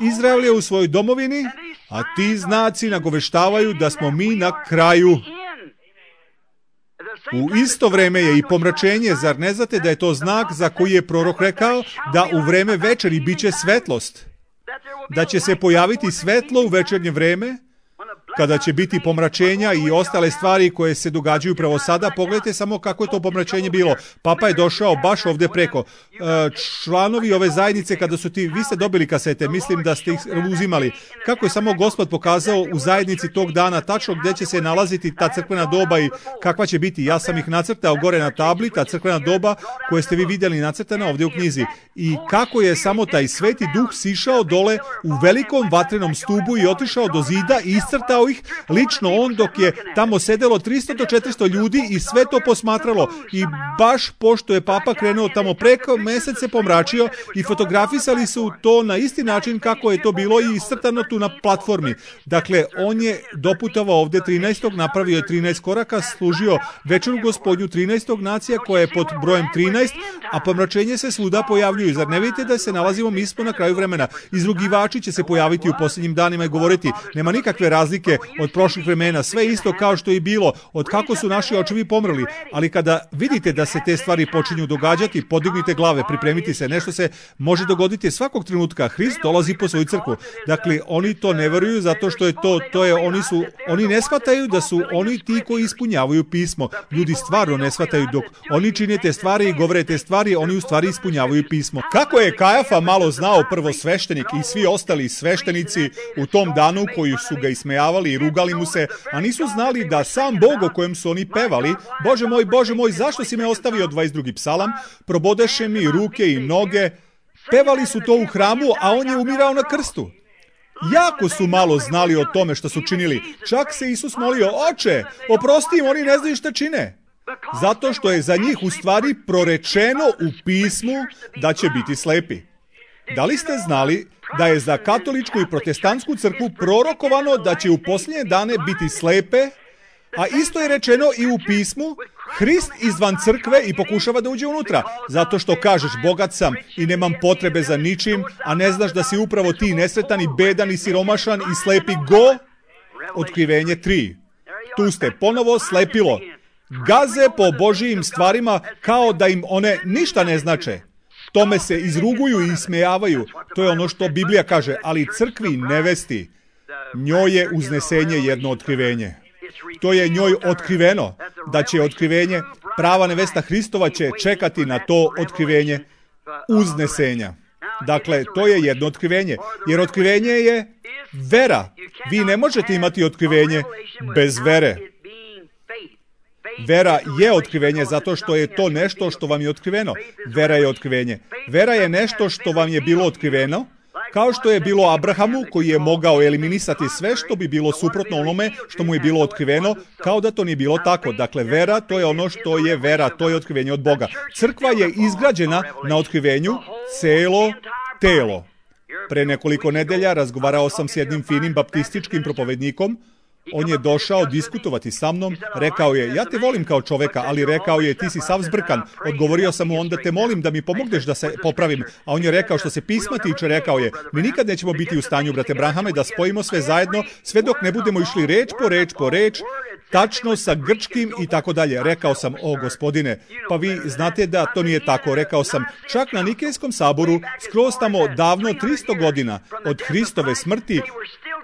Izrael je u svojoj domovini, a ti znaci nagoveštavaju da smo mi na kraju. U isto vreme je i pomračenje, zar ne znate da je to znak za koji je prorok rekao da u vreme večeri biće svetlost? Da će se pojaviti svetlo u večernje vreme, kada će biti pomračenja i ostale stvari koje se događaju upravo sada. Pogledajte samo kako je to pomračenje bilo. Papa je došao baš ovdje preko. Članovi ove zajednice, kada su vi ste dobili kasete, mislim da ste ih uzimali, kako je samo Gospod pokazao u zajednici tog dana tačno gdje će se nalaziti ta crkvena doba i kakva će biti. Ja sam ih nacrtao gore na tabli, ta crkvena doba koje ste vi vidjeli nacrtana ovdje u knjizi. I kako je samo taj Sveti Duh sišao dole u velikom vatrenom stubu i otišao do zida i iscrtao ih, lično on, dok je tamo sedelo 300 do 400 ljudi i sve to posmatralo. I baš pošto je Papa krenuo tamo preko, mjesec se pomračio i fotografisali su to na isti način kako je to bilo i iscrtano tu na platformi. Dakle, on je doputovao ovdje 13. napravio je 13 koraka, služio večeru Gospodnju 13. nacija koja je pod brojem 13, a pomračenje se svuda pojavljuju. Zar ne vidite da se nalazimo, mi smo na kraju vremena? Izrugivači će se pojaviti u posljednjim danima i govoriti, nema nikakve razlike od prošlih vremena, sve isto kao što je bilo, od kako su naši očevi pomrli. Ali kada vidite da se te stvari počinju događati, podignite glave, pripremite se, nešto se može dogoditi svakog trenutka. Hrist dolazi po svoju crkvu. Dakle, oni to ne veruju zato što je oni ne shvataju da su oni ti koji ispunjavaju pismo. Ljudi stvarno ne shvataju, dok oni čine te stvari i govore te stvari, oni u stvari ispunjavaju pismo. Kako je Kajafa malo znao, prvosveštenik i svi ostali sveštenici u tom danu koji su ga ismejavali i rugali mu se, a nisu znali da sam Bog o kojem su oni pevali, Bože moj, zašto si me ostavio, 22. psalam, probodeše mi ruke i noge, pevali su to u hramu, a on je umirao na krstu. Jako su malo znali o tome što su činili. Čak se Isus molio, Oče, oprosti im, oni ne znaju šta čine. Zato što je za njih u stvari prorečeno u pismu da će biti slepi. Da li ste znali da je za katoličku i protestantsku crkvu prorokovano da će u posljednje dane biti slepe, a isto je rečeno i u pismu, Hrist izvan crkve i pokušava da uđe unutra, zato što kažeš bogat sam i nemam potrebe za ničim, a ne znaš da si upravo ti nesretan i bedan i siromašan i slepi go. Otkrivenje 3. Tu ste ponovo, slepilo. Gaze po Božijim stvarima kao da im one ništa ne znače. Tome se izruguju i ismejavaju. To je ono što Biblija kaže, ali crkvi nevesti, njoj je uznesenje jedno otkrivenje. To je njoj otkriveno, da će otkrivenje, prava nevesta Hristova će čekati na to otkrivenje uznesenja. Dakle, to je jedno otkrivenje, jer otkrivenje je vera. Vi ne možete imati otkrivenje bez vere. Vera je otkrivenje zato što je to nešto što vam je otkriveno. Vera je otkrivenje. Vera je nešto što vam je bilo otkriveno, kao što je bilo Abrahamu koji je mogao eliminisati sve što bi bilo suprotno onome što mu je bilo otkriveno, kao da to nije bilo tako. Dakle, vera, to je ono što je vera, to je otkrivenje od Boga. Crkva je izgrađena na otkrivenju celo telo. Pre nekoliko nedelja razgovarao sam s jednim finim baptističkim propovednikom. On je došao diskutovati sa mnom, rekao je, ja te volim kao čoveka, ali rekao je, ti si sav zbrkan. Odgovorio sam mu, onda te molim da mi pomogneš da se popravim. A on je rekao, što se pisma tiče, rekao je, mi nikad nećemo biti u stanju, brate Branhame, da spojimo sve zajedno, sve dok ne budemo išli reč po reč, tačno sa grčkim i tako dalje. Rekao sam, o Gospodine, pa vi znate da to nije tako. Rekao sam, čak na Nikejskom saboru, skroz tamo davno 300 godina od Hristove smrti,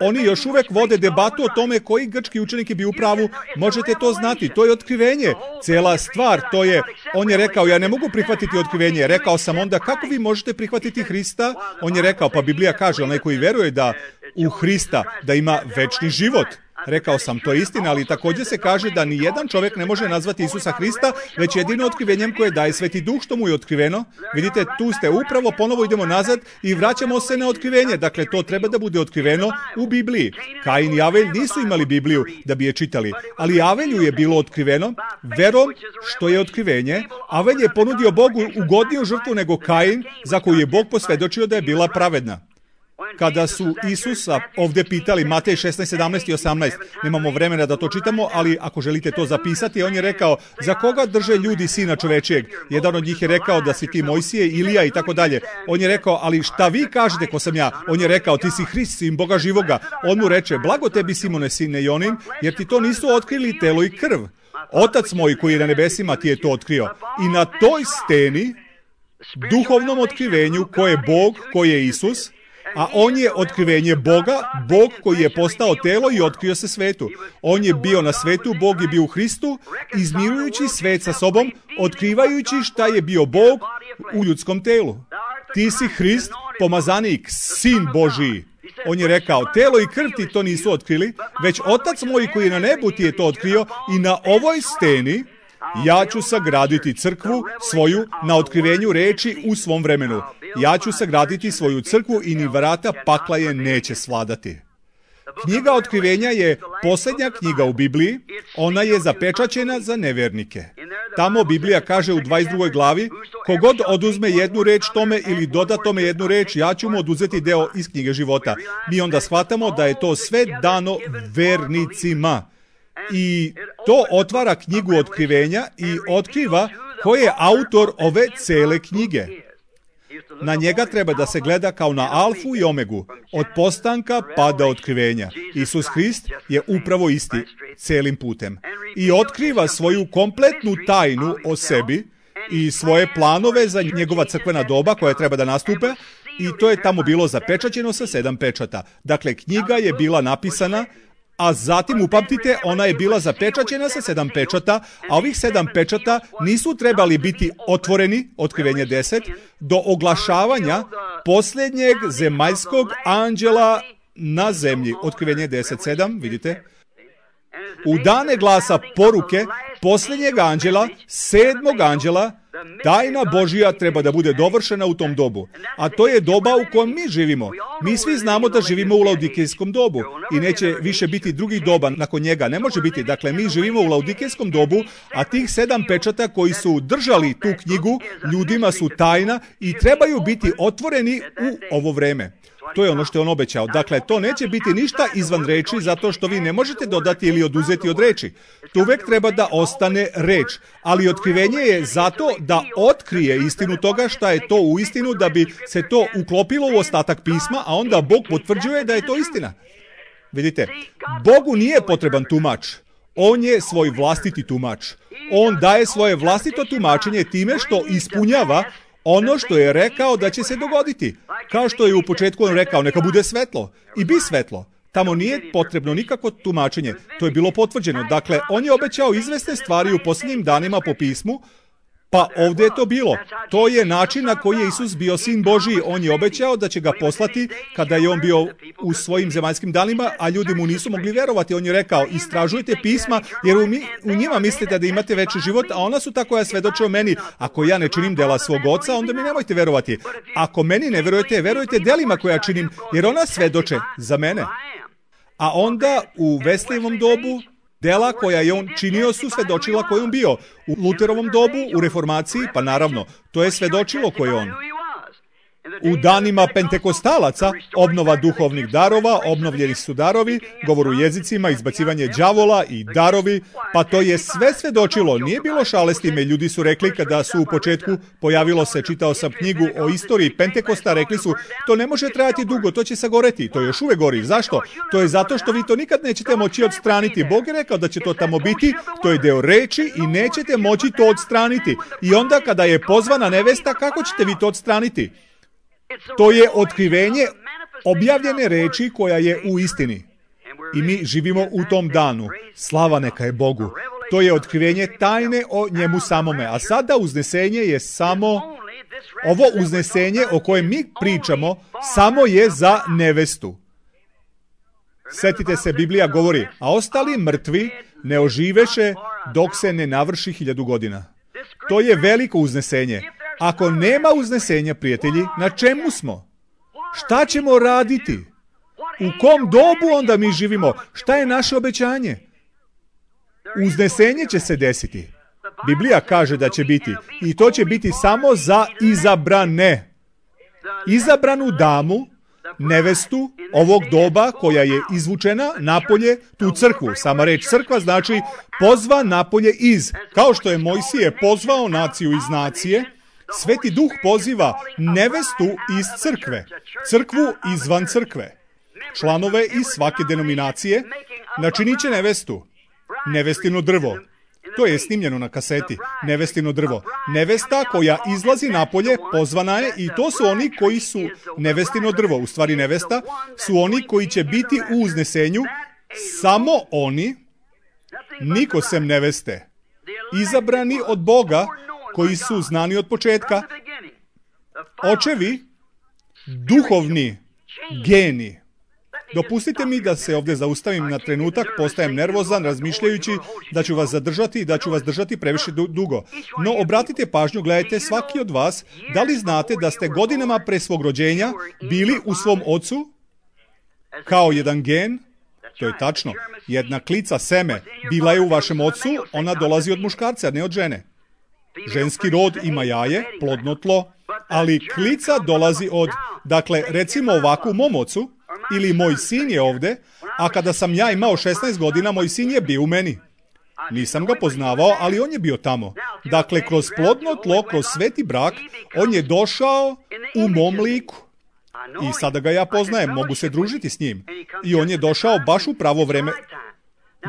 oni još uvek vode debatu o tome koji grčki učenik je bio u pravu. Možete to znati, to je otkrivenje. Cela stvar, to je, on je rekao, ja ne mogu prihvatiti otkrivenje. Rekao sam onda, kako vi možete prihvatiti Hrista? On je rekao, pa Biblija kaže, onaj koji veruje da u Hrista, da ima večni život. Rekao sam, to je istina, ali također se kaže da ni jedan čovjek ne može nazvati Isusa Hrista, već jedino otkrivenjem koje daje Sveti Duh što mu je otkriveno. Vidite, tu ste upravo, ponovo idemo nazad i vraćamo se na otkrivenje. Dakle, to treba da bude otkriveno u Bibliji. Kain i Avelj nisu imali Bibliju da bi je čitali, ali Avelju je bilo otkriveno verom što je otkrivenje. Avelj je ponudio Bogu ugodniju žrtvu nego Kain, za koju je Bog posvjedočio da je bila pravedna. Kada su Isusa ovdje pitali, Matej 16, 17 i 18, nemamo vremena da to čitamo, ali ako želite to zapisati, on je rekao, za koga drže ljudi Sina čovečijeg? Jedan od njih je rekao da si ti Mojsije, Ilija i tako dalje. On je rekao, ali šta vi kažete ko sam ja? On je rekao, ti si Hrist, sin Boga živoga. On mu reče, blago tebi Simone, sine Jonin, jer ti to nisu otkrili telo i krv. Otac moj koji je na nebesima ti je to otkrio. I na toj steni, duhovnom otkrivenju, ko je Bog, ko je Isus, A on je otkrivenje Boga, Bog koji je postao telo i otkrio se svetu. On je bio na svetu, Bog je bio u Hristu, izmirujući svet sa sobom, otkrivajući šta je bio Bog u ljudskom telu. Ti si Hrist, pomazanik, sin Božiji. On je rekao, telo i krv ti to nisu otkrili, već Otac moj koji je na nebu ti je to otkrio i na ovoj steni ja ću sagraditi crkvu svoju na otkrivenju reči u svom vremenu. Ja ću sagraditi svoju crkvu i ni vrata pakla je neće svladati. Knjiga otkrivenja je posljednja knjiga u Bibliji, ona je zapečaćena za nevjernike. Tamo Biblija kaže u 22. glavi, kogod oduzme jednu reč tome ili doda tome jednu reč, ja ću mu oduzeti deo iz knjige života. Mi onda shvatamo da je to sve dano vernicima. I to otvara knjigu otkrivenja i otkriva ko je autor ove cele knjige. Na njega treba da se gleda kao na alfu i omegu, od postanka pa do otkrivenja. Isus Hrist je upravo isti celim putem. I otkriva svoju kompletnu tajnu o sebi i svoje planove za njegova crkvena doba koja treba da nastupe, i to je tamo bilo zapečaćeno sa 7 pečata. Dakle, knjiga je bila napisana, a zatim, upamtite, ona je bila zapečaćena sa 7 pečata, a ovih 7 pečata nisu trebali biti otvoreni, otkrivenje 10, do oglašavanja posljednjeg zemaljskog anđela na zemlji. Otkrivenje 10:7, vidite. U dane glasa poruke posljednjeg anđela, 7. anđela, tajna Božija treba da bude dovršena u tom dobu. A to je doba u kojem mi živimo. Mi svi znamo da živimo u laodikejskom dobu i neće više biti drugih doba nakon njega. Ne može biti. Dakle, mi živimo u laodikejskom dobu, a tih 7 pečata koji su držali tu knjigu ljudima su tajna i trebaju biti otvoreni u ovo vreme. To je ono što je on obećao. Dakle, to neće biti ništa izvan reči, zato što vi ne možete dodati ili oduzeti od reči. To uvek treba da ostane reč. Ali otkrivenje je zato da otkrije istinu toga šta je to u istinu, da bi se to uklopilo u ostatak pisma, a onda Bog potvrđuje da je to istina. Vidite, Bogu nije potreban tumač. On je svoj vlastiti tumač. On daje svoje vlastito tumačenje time što ispunjava ono što je rekao da će se dogoditi. Kao što je u početku on rekao, neka bude svetlo. I bi svetlo. Tamo nije potrebno nikakvo tumačenje. To je bilo potvrđeno. Dakle, on je obećao izvesne stvari u posljednjim danima po pismu, pa ovdje je to bilo. To je način na koji je Isus bio sin Božiji. On je obećao da će ga poslati kada je on bio u svojim zemaljskim danima, a ljudi mu nisu mogli verovati. On je rekao, istražujte pisma, jer u njima mislite da imate večni život, a ona su ta koja svedoče o meni. Ako ja ne činim dela svog oca, onda mi nemojte verovati. Ako meni ne verujete, verujte delima koja činim, jer ona svedoče za mene. A onda u Veslijevom dobu, dela koja je on činio su svedočila koji on bio. U Luterovom dobu, u reformaciji, pa naravno, to je svedočilo koji je on. U danima pentekostalaca, obnova duhovnih darova, obnovljeni su darovi, govor u jezicima, izbacivanje đavola i darovi, pa to je sve svedočilo. Nije bilo šale s time. Ljudi su rekli kada su u početku pojavilo se, čitao sam knjigu o istoriji Pentekosta, rekli su, to ne može trajati dugo, to će sagoreti. To još uvek gori. Zašto? To je zato što vi to nikad nećete moći odstraniti. Bog je rekao da će to tamo biti, to je deo reči i nećete moći to odstraniti. I onda kada je pozvana nevesta, kako ćete vi to odstraniti? To je otkrivenje objavljene reči koja je u istini. I mi živimo u tom danu. Slava neka je Bogu. To je otkrivenje tajne o njemu samome. A sada uznesenje je samo... Ovo uznesenje o kojem mi pričamo samo je za nevestu. Setite se, Biblija govori, a ostali mrtvi ne oživeše dok se ne navrši 1000 godina. To je veliko uznesenje. Ako nema uznesenja, prijatelji, na čemu smo? Šta ćemo raditi? U kom dobu onda mi živimo? Šta je naše obećanje? Uznesenje će se desiti. Biblija kaže da će biti. I to će biti samo za izabrane. Izabranu damu, nevestu ovog doba koja je izvučena napolje, tu crkvu. Sama reč crkva znači pozva napolje iz. Kao što je Mojsije pozvao naciju iz nacije, Sveti Duh poziva nevestu iz crkve, crkvu izvan crkve. Članove iz svake denominacije načinit će nevestu, nevestino drvo. To je snimljeno na kaseti, nevestino drvo. Nevesta koja izlazi napolje, pozvana je, i to su oni koji su nevestino drvo. U stvari nevesta su oni koji će biti u uznesenju, samo oni, niko sem neveste, izabrani od Boga, koji su znani od početka, očevi, duhovni geni. Dopustite mi da se ovdje zaustavim na trenutak, postajem nervozan razmišljajući da ću vas zadržati i da ću vas držati previše dugo. No obratite pažnju, gledajte, svaki od vas, da li znate da ste godinama pre svog rođenja bili u svom ocu kao jedan gen? To je tačno. Jedna klica, seme, bila je u vašem ocu, ona dolazi od muškarca, ne od žene. Ženski rod ima jaje, plodno tlo, ali klica dolazi od, dakle, recimo ovako u mom ocu, ili moj sin je ovde, a kada sam ja imao 16 godina, moj sin je bio u meni. Nisam ga poznavao, ali on je bio tamo. Dakle, kroz plodno tlo, kroz sveti brak, on je došao u mom liku. I sada ga ja poznajem, mogu se družiti s njim. I on je došao baš u pravo vreme.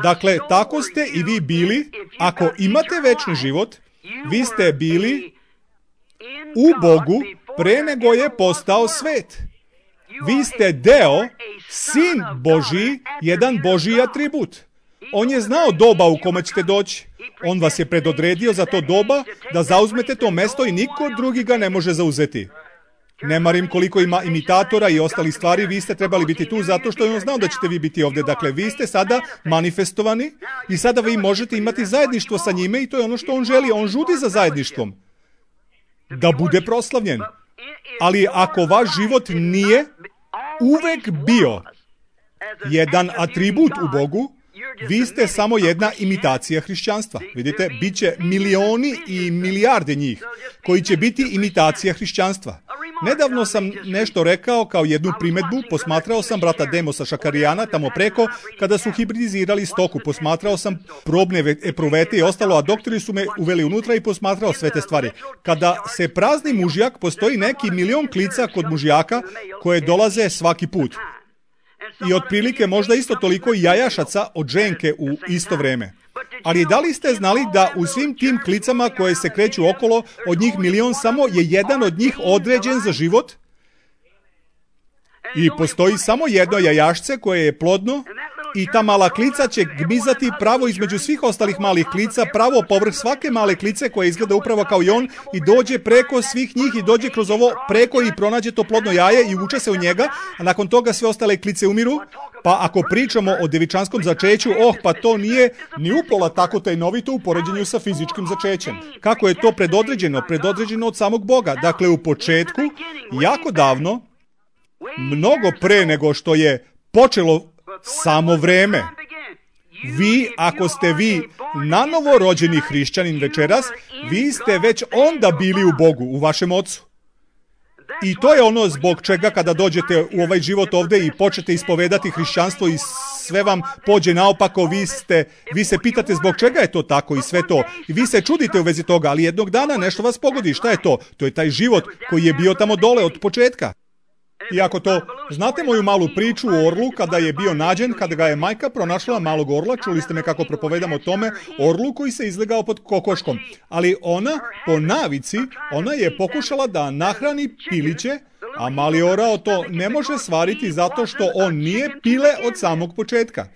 Dakle, tako ste i vi bili, ako imate večni život, vi ste bili u Bogu pre nego je postao svet. Vi ste deo, sin Božji, jedan Božji atribut. On je znao doba u kome ćete doći. On vas je predodredio za to doba da zauzmete to mesto i niko drugi ga ne može zauzeti. Ne marim koliko ima imitatora i ostali stvari, vi ste trebali biti tu zato što je on znao da ćete vi biti ovdje. Dakle, vi ste sada manifestovani i sada vi možete imati zajedništvo sa njime i to je ono što on želi. On žudi za zajedništvom. Da bude proslavljen. Ali ako vaš život nije uvek bio jedan atribut u Bogu, vi ste samo jedna imitacija hrišćanstva. Vidite, bit će milioni i milijarde njih koji će biti imitacija hrišćanstva. Nedavno sam nešto rekao kao jednu primedbu, posmatrao sam brata Demosa Šakarijana tamo preko kada su hibridizirali stoku, posmatrao sam probne epruvete i ostalo, a doktori su me uveli unutra i posmatrao sve te stvari. Kada se prazni mužjak, postoji neki milion klica kod mužjaka koje dolaze svaki put. I otprilike možda isto toliko jajašaca od ženke u isto vreme. Ali da li ste znali da u svim tim klicama koje se kreću okolo, od njih milion, samo je jedan od njih određen za život? I postoji samo jedno jajašce koje je plodno i ta mala klica će gmizati pravo između svih ostalih malih klica, pravo povrh svake male klice koja izgleda upravo kao i on i dođe preko svih njih i dođe kroz ovo preko i pronađe to plodno jaje i uče se u njega, a nakon toga sve ostale klice umiru. Pa ako pričamo o devičanskom začeću, pa to nije ni upola tako tajnovito u poređenju sa fizičkim začećem. Kako je to predodređeno? Predodređeno od samog Boga. Dakle, u početku, jako davno, mnogo pre nego što je počelo samo vreme. Vi, ako ste vi nanovo rođeni hrišćanin večeras, vi ste već onda bili u Bogu, u vašem ocu. I to je ono zbog čega kada dođete u ovaj život ovdje i počnete ispovedati hrišćanstvo i sve vam pođe naopako, vi se pitate zbog čega je to tako i sve to. I vi se čudite u vezi toga, ali jednog dana nešto vas pogodi. Šta je to? To je taj život koji je bio tamo dole od početka. I ako to, znate moju malu priču o orlu kada je bio nađen, kada ga je majka pronašla malog orla, čuli ste me kako propovedam o tome, orlu koji se izlegao pod kokoškom. Ali ona, po navici, ona je pokušala da nahrani piliće, a mali orao to ne može svariti zato što on nije pile od samog početka.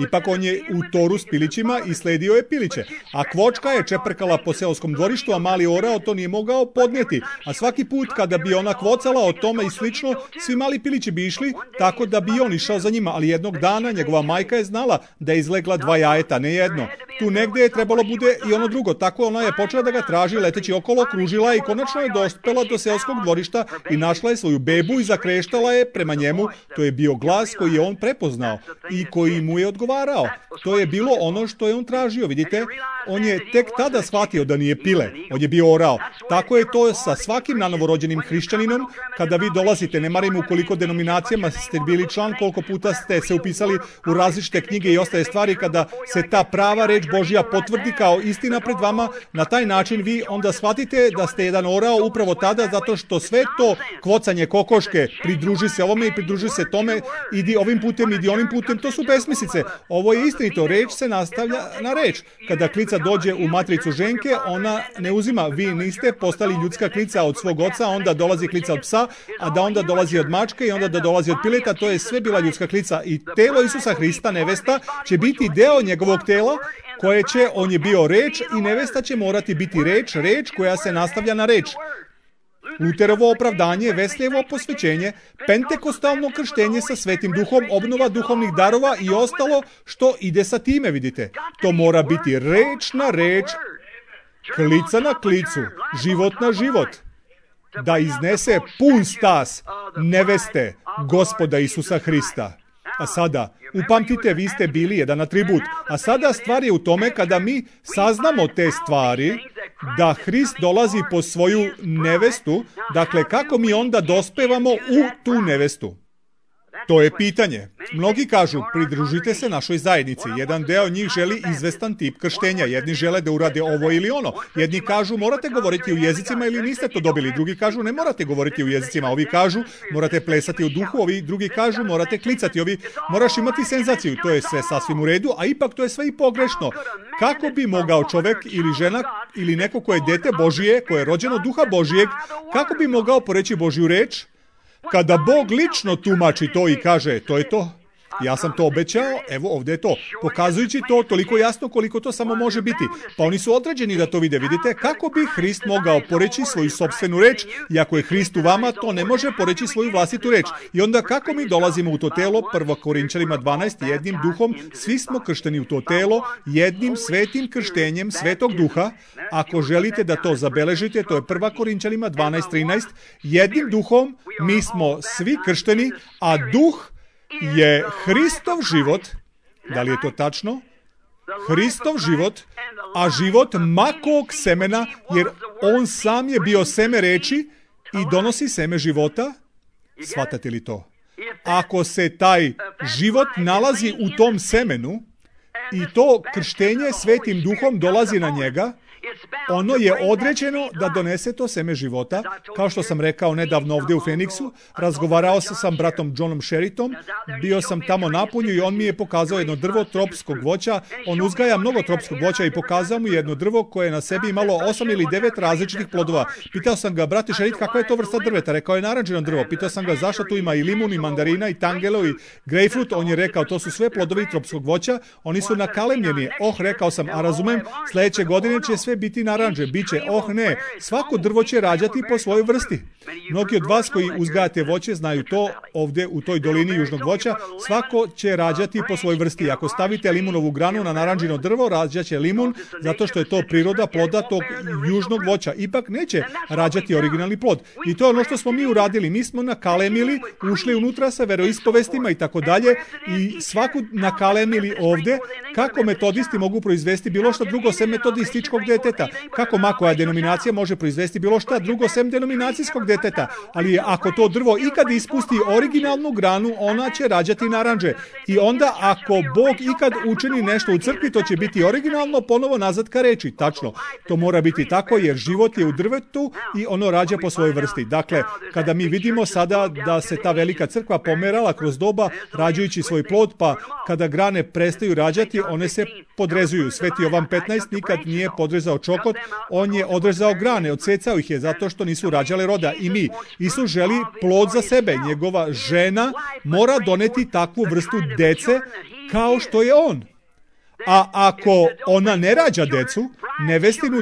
Ipak on je u toru s pilićima i sledio je piliće. A kvočka je čeprkala po seoskom dvorištu, a mali orao to nije mogao podnijeti. A svaki put kada bi ona kvocala o tome i slično, svi mali pilići bi išli tako da bi on išao za njima. Ali jednog dana njegova majka je znala da je izlegla 2 jajeta, ne jedno. Tu negdje je trebalo bude i ono drugo. Tako ona je počela da ga traži leteći okolo, kružila i konačno je dospela do seoskog dvorišta i našla je svoju bebu i zakreštala je prema njemu. To je bio glas koji je on prepoznao i koji mu je odgovarao. To je bilo ono što je on tražio, vidite. On je tek tada shvatio da nije pile, on je bio orao. Tako je to sa svakim nanovorođenim hrišćaninom. Kada vi dolazite, ne marim u koliko denominacijama ste bili član, koliko puta ste se upisali u različite knjige i ostale stvari, kada se ta prava reč Božja potvrdi kao istina pred vama, na taj način vi onda shvatite da ste jedan orao upravo tada, zato što sve to kvocanje kokoške, pridruži se ovome i pridruži se tome, idi ovim putem, idi onim putem, to su besmislice. Ovo je istinito, reč se nastavlja na reč. Kada klica klica dođe u matricu ženke, ona ne uzima, vi niste postali ljudska klica od svog oca, onda dolazi klica od psa, a da onda dolazi od mačke i onda da dolazi od pileta, to je sve bila ljudska klica. I telo Isusa Hrista, nevesta, će biti deo njegovog tela, koje će, on je bio reč i nevesta će morati biti reč koja se nastavlja na reč. Luterovo opravdanje, Wesljevo posvećenje, pentekostalno krštenje sa Svetim Duhom, obnova duhovnih darova i ostalo što ide sa time, vidite. To mora biti reč na reč, klica na klicu, život na život. Da iznese pun stas neveste Gospoda Isusa Hrista. A sada, upamtite, vi ste bili jedan atribut. A sada stvar je u tome kada mi saznamo te stvari, da Hrist dolazi po svoju nevestu, dakle kako mi onda dospevamo u tu nevestu? To je pitanje. Mnogi kažu, pridružite se našoj zajednici. Jedan deo njih želi izvestan tip krštenja. Jedni žele da urade ovo ili ono. Jedni kažu, morate govoriti u jezicima ili niste to dobili. Drugi kažu, ne morate govoriti u jezicima. Ovi kažu, morate plesati u duhu. Ovi drugi kažu, morate klicati. Ovi, moraš imati senzaciju. To je sve sasvim u redu, a ipak to je sve i pogrešno. Kako bi mogao čovek ili žena ili neko ko je dete Božije, ko je rođeno duha Božijeg, kako bi mogao poreći Božju reč? Kada Bog lično tumači to i kaže, to je to, ja sam to obećao, evo ovdje je to, pokazujući to toliko jasno koliko to samo može biti. Pa oni su određeni da to vide, vidite, kako bi Hrist mogao poreći svoju sopstvenu reč, i ako je Hrist u vama, to ne može poreći svoju vlastitu reč. I onda kako mi dolazimo u to telo, 1. Korinčanima 12, jednim duhom, svi smo kršteni u to telo, jednim svetim krštenjem Svetog Duha. Ako želite da to zabeležite, to je 1. Korinčanima 12:13, jednim duhom mi smo svi kršteni, a duh je Hristov život. Da li je to tačno? Hristov život, a život makog semena, jer on sam je bio seme reči i donosi seme života. Shvatate li to? Ako se taj život nalazi u tom semenu i to krštenje Svetim Duhom dolazi na njega, ono je određeno da donese to seme života. Kao što sam rekao nedavno ovdje u Feniksu, razgovarao sam sa bratom Johnom Sheritom, bio sam tamo napunju i on mi je pokazao jedno drvo tropskog voća. On uzgaja mnogo tropskog voća i pokazao mu jedno drvo koje je na sebi imalo 8 ili 9 različitih plodova. Pitao sam ga, brate Sherit, kakva je to vrsta drveta? Rekao je naranđeno drvo. Pitao sam ga zašto tu ima i limun, i mandarina, i tangelo, i grejpfrut. On je rekao, to su sve plodovi tropskog voća, oni su nakalemljeni. Rekao sam, a razumem, sljedeće godine će sve biti naranđe, biće, ne, svako drvo će rađati po svojoj vrsti. Mnogi od vas koji uzgajate voće znaju to, ovdje u toj dolini južnog voća, svako će rađati po svojoj vrsti. Ako stavite limunovu granu na naranđino drvo, rađaće limun, zato što je to priroda ploda tog južnog voća. Ipak neće rađati originalni plod. I to je ono što smo mi uradili. Mi smo nakalemili, ušli unutra sa veroispovestima i tako dalje, i svaku nakalemili ovdje. Kako metodisti mogu proizvesti bilo što drugo sem metodističkog deteta? Kako ma koja denominacija može proizvesti bilo šta drugo sem denominacijskog deteta? Ali ako to drvo ikad ispusti originalnu granu, ona će rađati naranđe. I onda ako Bog ikad učini nešto u crkvi, to će biti originalno ponovo nazad ka reči. Tačno, to mora biti tako jer život je u drvetu i ono rađa po svojoj vrsti. Dakle, kada mi vidimo sada da se ta velika crkva pomerala kroz doba rađajući svoj plod, pa kada grane prestaju rađati, one se podrezuju. Sveti Jovan 15 nikad nije podrezao čokot, on je odrezao grane, odsecao ih je zato što nisu rađale roda. I mi, Isus želi plod za sebe. Njegova žena mora doneti takvu vrstu dece kao što je on. A ako ona ne rađa decu, nevestinu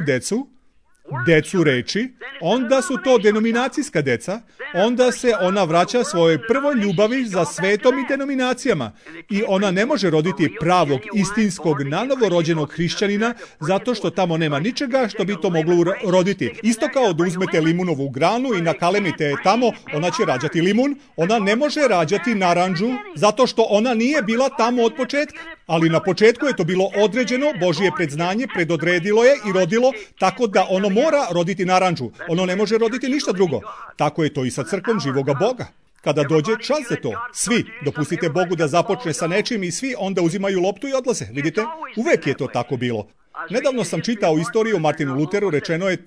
decu reči, onda su to denominacijska deca, onda se ona vraća svojoj prvoj ljubavi za svetom i denominacijama. I ona ne može roditi pravog, istinskog, nanovo rođenog hrišćanina, zato što tamo nema ničega što bi to moglo roditi. Isto kao da uzmete limunovu granu i nakalemite je tamo, ona će rađati limun, ona ne može rađati naranđu, zato što ona nije bila tamo od početka. Ali na početku je to bilo određeno, Božje predznanje predodredilo je i rodilo, tako da ono mora roditi naranđu. Ono ne može roditi ništa drugo. Tako je to i sa crkvom živoga Boga. Kada dođe čas za to, svi dopustite Bogu da započne sa nečim i svi onda uzimaju loptu i odlaze. Vidite, uvek je to tako bilo. Nedavno sam čitao istoriju o Martinu Luteru, rečeno je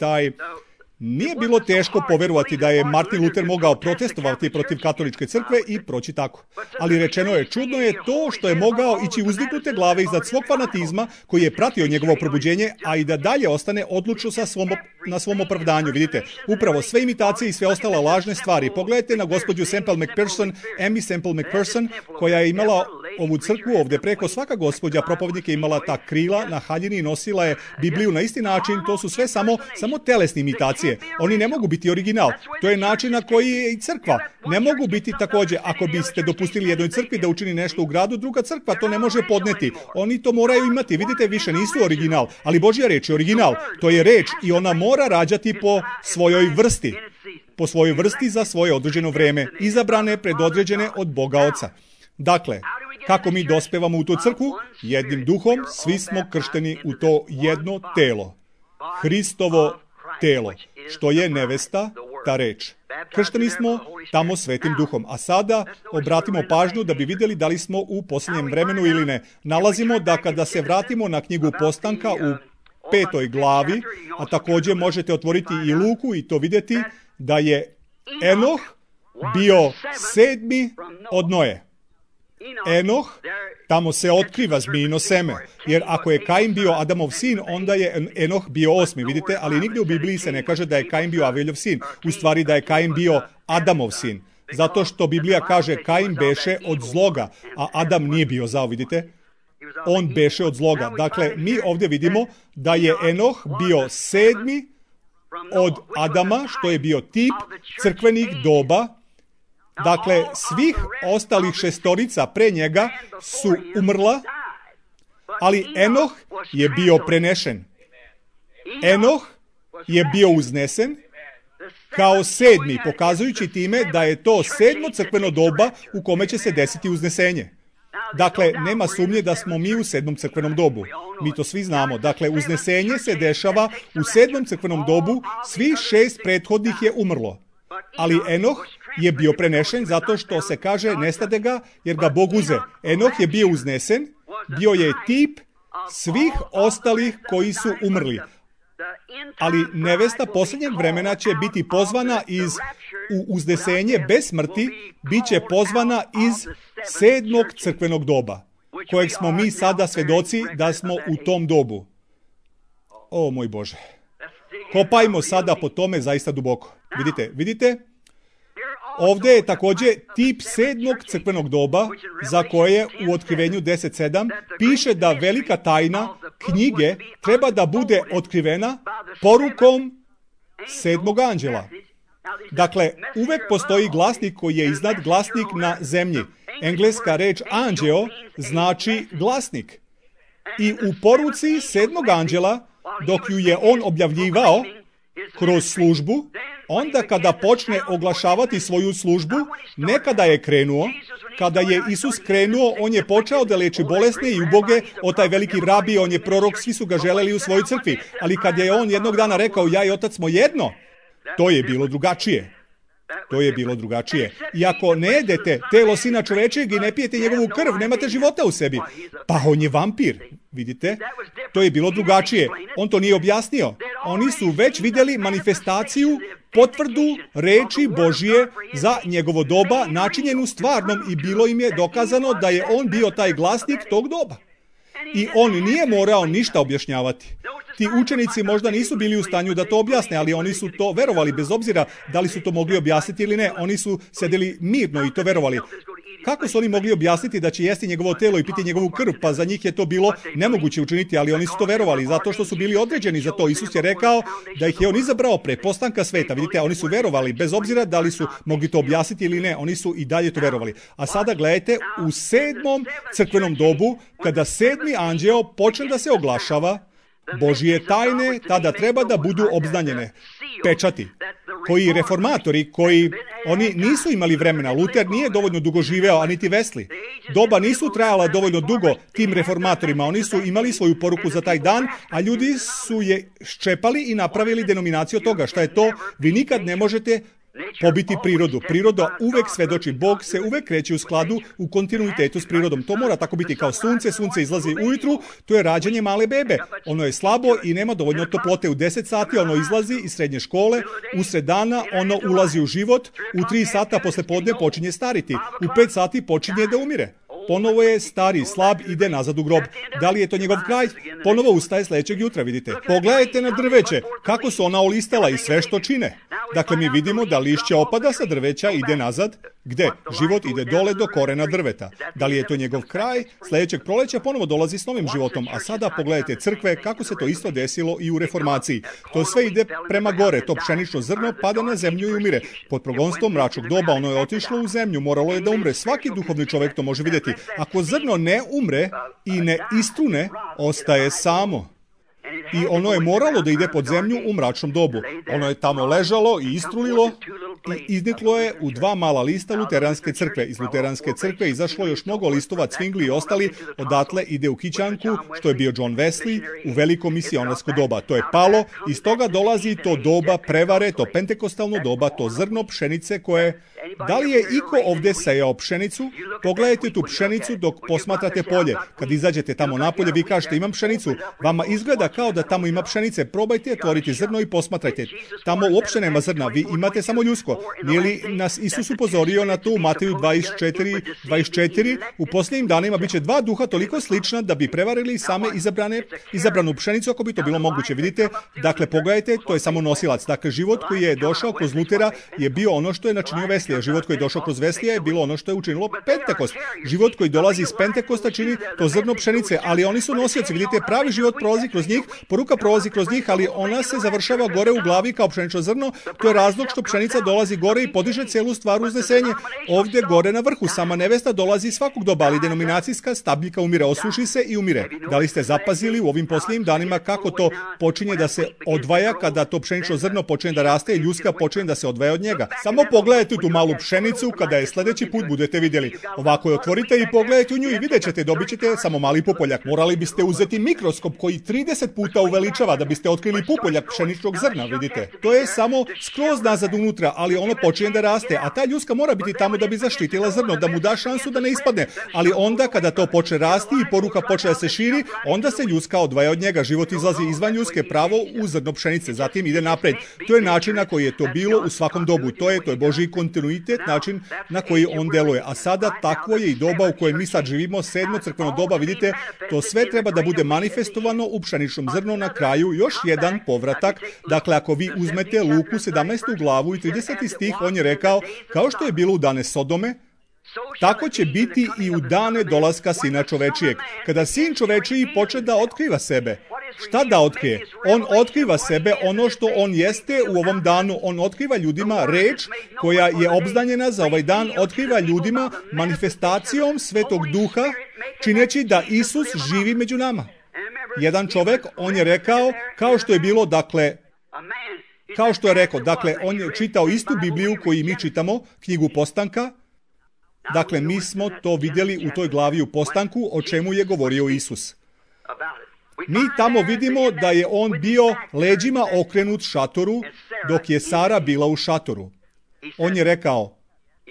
Nije bilo teško poverovati da je Martin Luther mogao protestovati protiv katoličke crkve i proći tako. Ali rečeno je, čudno je to što je mogao ići uzdignute glave iznad svog fanatizma koji je pratio njegovo probuđenje, a i da dalje ostane odlučno na svom opravdanju. Vidite, upravo sve imitacije i sve ostale lažne stvari. Pogledajte na gospođu Semple McPherson, Amy Semple McPherson, koja je imala ovu crkvu ovdje preko. Svaka gospođa propovednika je imala ta krila na haljini i nosila je Bibliju na isti način. To su sve samo telesne imitacije. Oni ne mogu biti original. To je način na koji je i crkva. Ne mogu biti također, ako biste dopustili jednoj crkvi da učini nešto u gradu, druga crkva to ne može podneti. Oni to moraju imati. Vidite, više nisu original. Ali Božja reč je original. To je reč i ona mora rađati po svojoj vrsti. Po svojoj vrsti za svoje određeno vreme. Izabrane, predodređene od Boga Oca. Dakle, kako mi dospevamo u tu crkvu? Jednim duhom, svi smo kršteni u to jedno telo. Hristovo telo, što je nevesta, ta reč. Kršteni smo tamo Svetim Duhom. A sada obratimo pažnju da bi vidjeli da li smo u posljednjem vremenu ili ne. Nalazimo da kada se vratimo na knjigu Postanka u 5. glavi, a također možete otvoriti i Luku i to vidjeti, da je Enoh bio 7. od Noe. Enoh, tamo se otkriva zmijino seme, jer ako je Kain bio Adamov sin, onda je Enoh bio 8. Vidite, ali nigdje u Bibliji se ne kaže da je Kain bio Aveljov sin, u stvari da je Kain bio Adamov sin, zato što Biblija kaže Kain beše od zloga, a Adam nije bio zao, vidite, on beše od zloga. Dakle, mi ovdje vidimo da je Enoh bio 7. od Adama, što je bio tip crkvenih doba. Dakle, svih ostalih 6 pre njega su umrla, ali Enoh je bio prenešen. Enoh je bio uznesen kao 7. pokazujući time da je to 7. crkveno doba u kome će se desiti uznesenje. Dakle, nema sumnje da smo mi u 7. crkvenom dobu. Mi to svi znamo. Dakle, uznesenje se dešava u 7. crkvenom dobu, svih 6 prethodnih je umrlo. Ali Enoh je bio prenešen zato što se kaže nestade ga jer ga Bog uze. Enoh je bio uznesen, bio je tip svih ostalih koji su umrli. Ali nevesta posljednjeg vremena će biti pozvana u uznesenje bez smrti, bit će pozvana iz 7. crkvenog doba, kojeg smo mi sada svjedoci da smo u tom dobu. O moj Bože. Kopajmo sada po tome zaista duboko. Vidite? Ovdje je također tip 7. crkvenog doba za koje u Otkrivenju 10.7 piše da velika tajna knjige treba da bude otkrivena porukom 7. anđela. Dakle, uvek postoji glasnik koji je iznad glasnik na zemlji. Engleska reč anđeo znači glasnik. I u poruci 7. anđela, dok ju je on objavljivao kroz službu, onda kada počne oglašavati svoju službu, nekada je krenuo, kada je Isus krenuo, on je počeo da leči bolesne i uboge, o taj veliki rabi, on je prorok, svi su ga želeli u svojoj crkvi. Ali kad je on jednog dana rekao, ja i Otac smo jedno, to je bilo drugačije. I ako ne jedete telo Sina čovečijeg i ne pijete njegovu krv, nemate života u sebi. Pa on je vampir, vidite? To je bilo drugačije. On to nije objasnio. Oni su već vidjeli manifestaciju, potvrdu reči Božije za njegovo doba, načinjenu stvarnom i bilo im je dokazano da je on bio taj glasnik tog doba. I on nije morao ništa objašnjavati. Ti učenici možda nisu bili u stanju da to objasne, ali oni su to verovali, bez obzira da li su to mogli objasniti ili ne. Oni su sedeli mirno i to verovali. Kako su oni mogli objasniti da će jesti njegovo telo i piti njegovu krv? Pa za njih je to bilo nemoguće učiniti, ali oni su to verovali, zato što su bili određeni za to. Isus je rekao da ih je on izabrao pre postanka sveta. Vidite, oni su verovali, bez obzira da li su mogli to objasniti ili ne, oni su i dalje to verovali. A sada gledajte, u 7. crkvenom dobu, kada 7. anđeo počne da se oglašava, Božije tajne tada treba da budu obznanjene. Pečati. Koji reformatori, oni nisu imali vremena. Luter nije dovoljno dugo živeo, a niti Wesley. Doba nisu trajala dovoljno dugo tim reformatorima. Oni su imali svoju poruku za taj dan, a ljudi su je ščepali i napravili denominaciju toga. Šta je to? Vi nikad ne možete pobiti prirodu. Priroda uvek svedoči. Bog se uvek kreće u skladu, u kontinuitetu s prirodom. To mora tako biti kao sunce. Sunce izlazi ujutru, to je rađanje male bebe. Ono je slabo i nema dovoljno toplote. U 10 sati ono izlazi iz srednje škole, usred dana ono ulazi u život, u 3 sata posle podne počinje stariti, u 5 sati počinje da umire. Ponovo je stari, slab, ide nazad u grob. Da li je to njegov kraj? Ponovo ustaje sledećeg jutra, vidite. Pogledajte na drveće, kako su ona olistala i sve što čine. Dakle, mi vidimo da lišće opada sa drveća, ide nazad. Gde? Život ide dole do korena drveta. Da li je to njegov kraj? Sledećeg proleća ponovo dolazi s novim životom. A sada pogledajte crkve, kako se to isto desilo i u reformaciji. To sve ide prema gore. To pšenično zrno pada na zemlju i umire. Pod progonstvom mračnog doba ono je otišlo u zemlju, moralo je da umre. Svaki duhovni čovek to može videti. Ako zrno ne umre i ne istrune, ostaje samo. I ono je moralo da ide pod zemlju u mračnom dobu. Ono je tamo ležalo i istrulilo i izniklo je u 2 mala lista luteranske crkve. Iz luteranske crkve izašlo još mnogo listova, Cvingli i ostali. Odatle ide u Kićanku, što je bio John Wesley, u veliko misionarsko doba. To je palo, iz toga dolazi to doba prevare, to pentekostalno doba, to zrno pšenice koje... Da li je iko ovde sejao pšenicu? Pogledajte tu pšenicu dok posmatrate polje. Kad izađete tamo napolje, vi kažete imam pšenicu. Vama izgleda kao da tamo ima pšenice. Probajte otvoriti zrno i posmatrajte. Tamo uopšte nema zrna, vi imate samo ljusko. Nije li nas Isus upozorio na to u Mateju 24? U posljednjim danima biće 2 duha toliko slična da bi prevarili same izabranu pšenicu ako bi to bilo moguće. Vidite, dakle pogledajte, to je samo nosilac. Dakle, život koji je došao kroz Lutera je bio ono što je načinio Wesley. Život koji je došao kroz Weslija je bilo ono što je učinilo Pentekost. Život koji dolazi iz Pentekosta čini to zrno pšenice, ali oni su nosioci. Vidite, pravi život prolazi kroz njih, poruka prolazi kroz njih, ali ona se završava gore u glavi kao pšenično zrno. To je razlog što pšenica dolazi gore i podiže celu stvar u uznesenje. Ovdje gore na vrhu sama nevesta dolazi svakog doba, ali denominacijska stabljika umire, osuši se i umire. Da li ste zapazili u ovim posljednjim danima kako to počinje da se odvaja kada to pšenično zrno počinje da raste i ljuska počinje da se odvaja od njega? Samo pogledajte tu malu pšenicu, kada je sledeći put budete vidjeli. Ovako je otvorite i pogledajte u nju i vidjet ćete, dobit ćete samo mali pupoljak. Morali biste uzeti mikroskop koji 30 puta uveličava da biste otkrili pupoljak pšeničnog zrna, vidite. To je samo skroz nazad unutra, ali ono počinje da raste, a ta ljuska mora biti tamo da bi zaštitila zrno, da mu da šansu da ne ispadne. Ali onda kada to počne rasti i poruka počne da se širi, onda se ljuska odvaja od njega. Život izlazi izvan ljuske pravo u zrno pšenice, zatim ide napred. To je način na koji je to bilo u svakom dobu. To je Božji kontinuitet, način na koji on deluje. A sada takvo je i doba u kojem mi sad živimo, 7. crkveno doba, vidite, to sve treba da bude manifestovano u pšeničnom zrnu na kraju, još jedan povratak. Dakle, ako vi uzmete Luku 17. glavu i 30. stih, on je rekao, kao što je bilo u dane Sodome, tako će biti i u dane dolaska Sina čovečijeg. Kada Sin čovečiji počne da otkriva sebe, šta da otkrije? On otkriva sebe, ono što on jeste u ovom danu. On otkriva ljudima reč koja je obznanjena za ovaj dan, otkriva ljudima manifestacijom Svetog Duha, čineći da Isus živi među nama. Jedan čovek, on je rekao, kao što je bilo, dakle, on je čitao istu Bibliju koju mi čitamo, knjigu Postanka. Dakle, mi smo to vidjeli u toj glavi u Postanku, o čemu je govorio Isus. Mi tamo vidimo da je on bio leđima okrenut šatoru, dok je Sara bila u šatoru. On je rekao,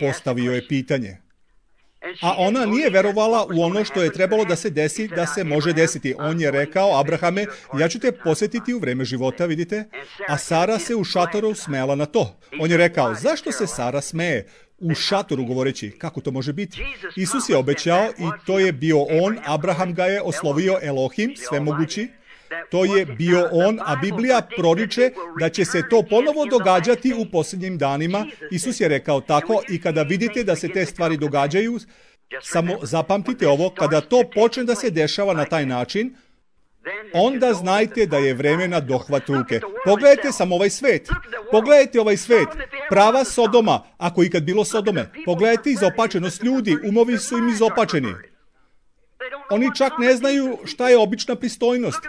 postavio je pitanje. A ona nije verovala u ono što je trebalo da se desi, da se može desiti. On je rekao, Abrahame, ja ću te posjetiti u vreme života, vidite? A Sara se u šatoru smela na to. On je rekao, zašto se Sara smeje? U šatoru govoreći, kako to može biti? Isus je obećao i to je bio on, Abraham ga je oslovio Elohim, svemogući. To je bio on, a Biblija proriče da će se to ponovo događati u posljednjim danima. Isus je rekao tako i kada vidite da se te stvari događaju, samo zapamtite ovo, kada to počne da se dešava na taj način, onda znajte da je vreme na dohvat ruke. Pogledajte samo ovaj svet. Pogledajte ovaj svet. Prava Sodoma, ako ikad bilo Sodome. Pogledajte izopačenost ljudi, umovi su im izopačeni. Oni čak ne znaju šta je obična pristojnost.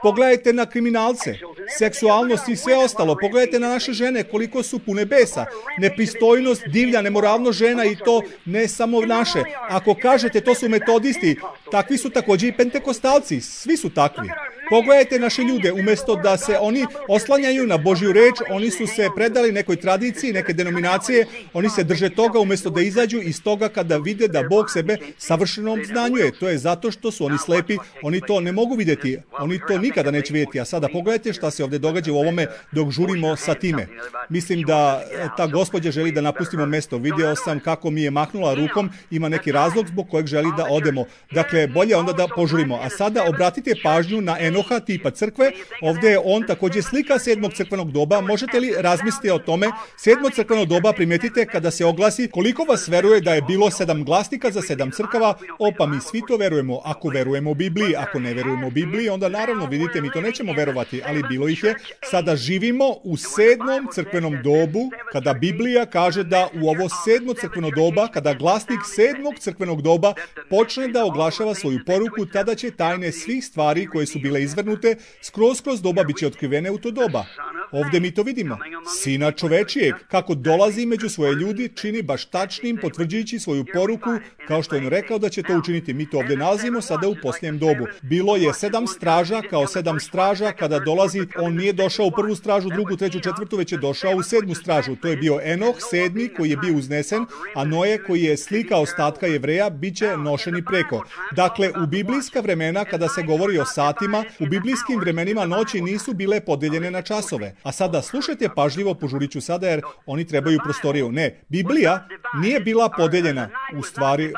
Pogledajte na kriminalce, seksualnost i sve ostalo. Pogledajte na naše žene koliko su pune besa. Nepristojnost, divlja, nemoralnost žena i to ne samo naše. Ako kažete to su metodisti, takvi su također i pentekostalci. Svi su takvi. Pogledajte naše ljude, umjesto da se oni oslanjaju na Božju reč, oni su se predali nekoj tradiciji, neke denominacije, oni se drže toga umjesto da izađu iz toga kada vide da Bog sebe savršeno obznanjuje. To je zato što su oni slepi, oni to ne mogu vidjeti, oni to nikada neće vidjeti. A sada pogledajte šta se ovdje događa u ovome dok žurimo sa time. Mislim da ta gospođa želi da napustimo mjesto. Vidio sam kako mi je mahnula rukom, ima neki razlog zbog kojeg želi da odemo. Dakle, bolje onda da požurimo. A sada obratite pažnju na Enoha tipa crkve. Ovdje je on također slika 7. crkvenog doba. Možete li razmisliti o tome? 7. crkveno doba, primijetite kada se oglasi koliko vas veruje da je bilo 7 glasnika za 7 crkava. Pa mi svi to verujemo. Ako verujemo Bibliji, ako ne verujemo Bibliji, onda naravno vidite mi to nećemo verovati, ali bilo ih je. Sada živimo u 7. crkvenom dobu, kada Biblija kaže da u ovo 7. crkveno doba, kada glasnik 7. crkvenog doba počne da oglašava svoju poruku, tada će tajne svih stvari koje su bile izvrnute kroz doba bit će otkrivene u to doba. Ovdje mi to vidimo. Sina čovečijeg, kako dolazi među svoje ljudi, čini baš tačnim, potvrđujući svoju poruku, kao što je on rekao da će to učiniti. Mi to ovdje nalazimo sada u posljednjem dobu. Bilo je 7 straža, kao 7 straža, kada dolazi, on nije došao u prvu stražu, drugu, treću, četvrtu, već je došao u 7. stražu. To je bio Enoh, 7. koji je bio uznesen, a Noe, koji je slika ostatka Jevreja, bit će nošeni preko. Dakle, u biblijska vremena, kada se govori o satima, u biblijskim vremenima noći nisu bile podeljene na časove. A sada slušajte pažljivo, požurit ću sada jer oni trebaju prostoriju. Ne, Biblija nije bila podeljena. U stvari,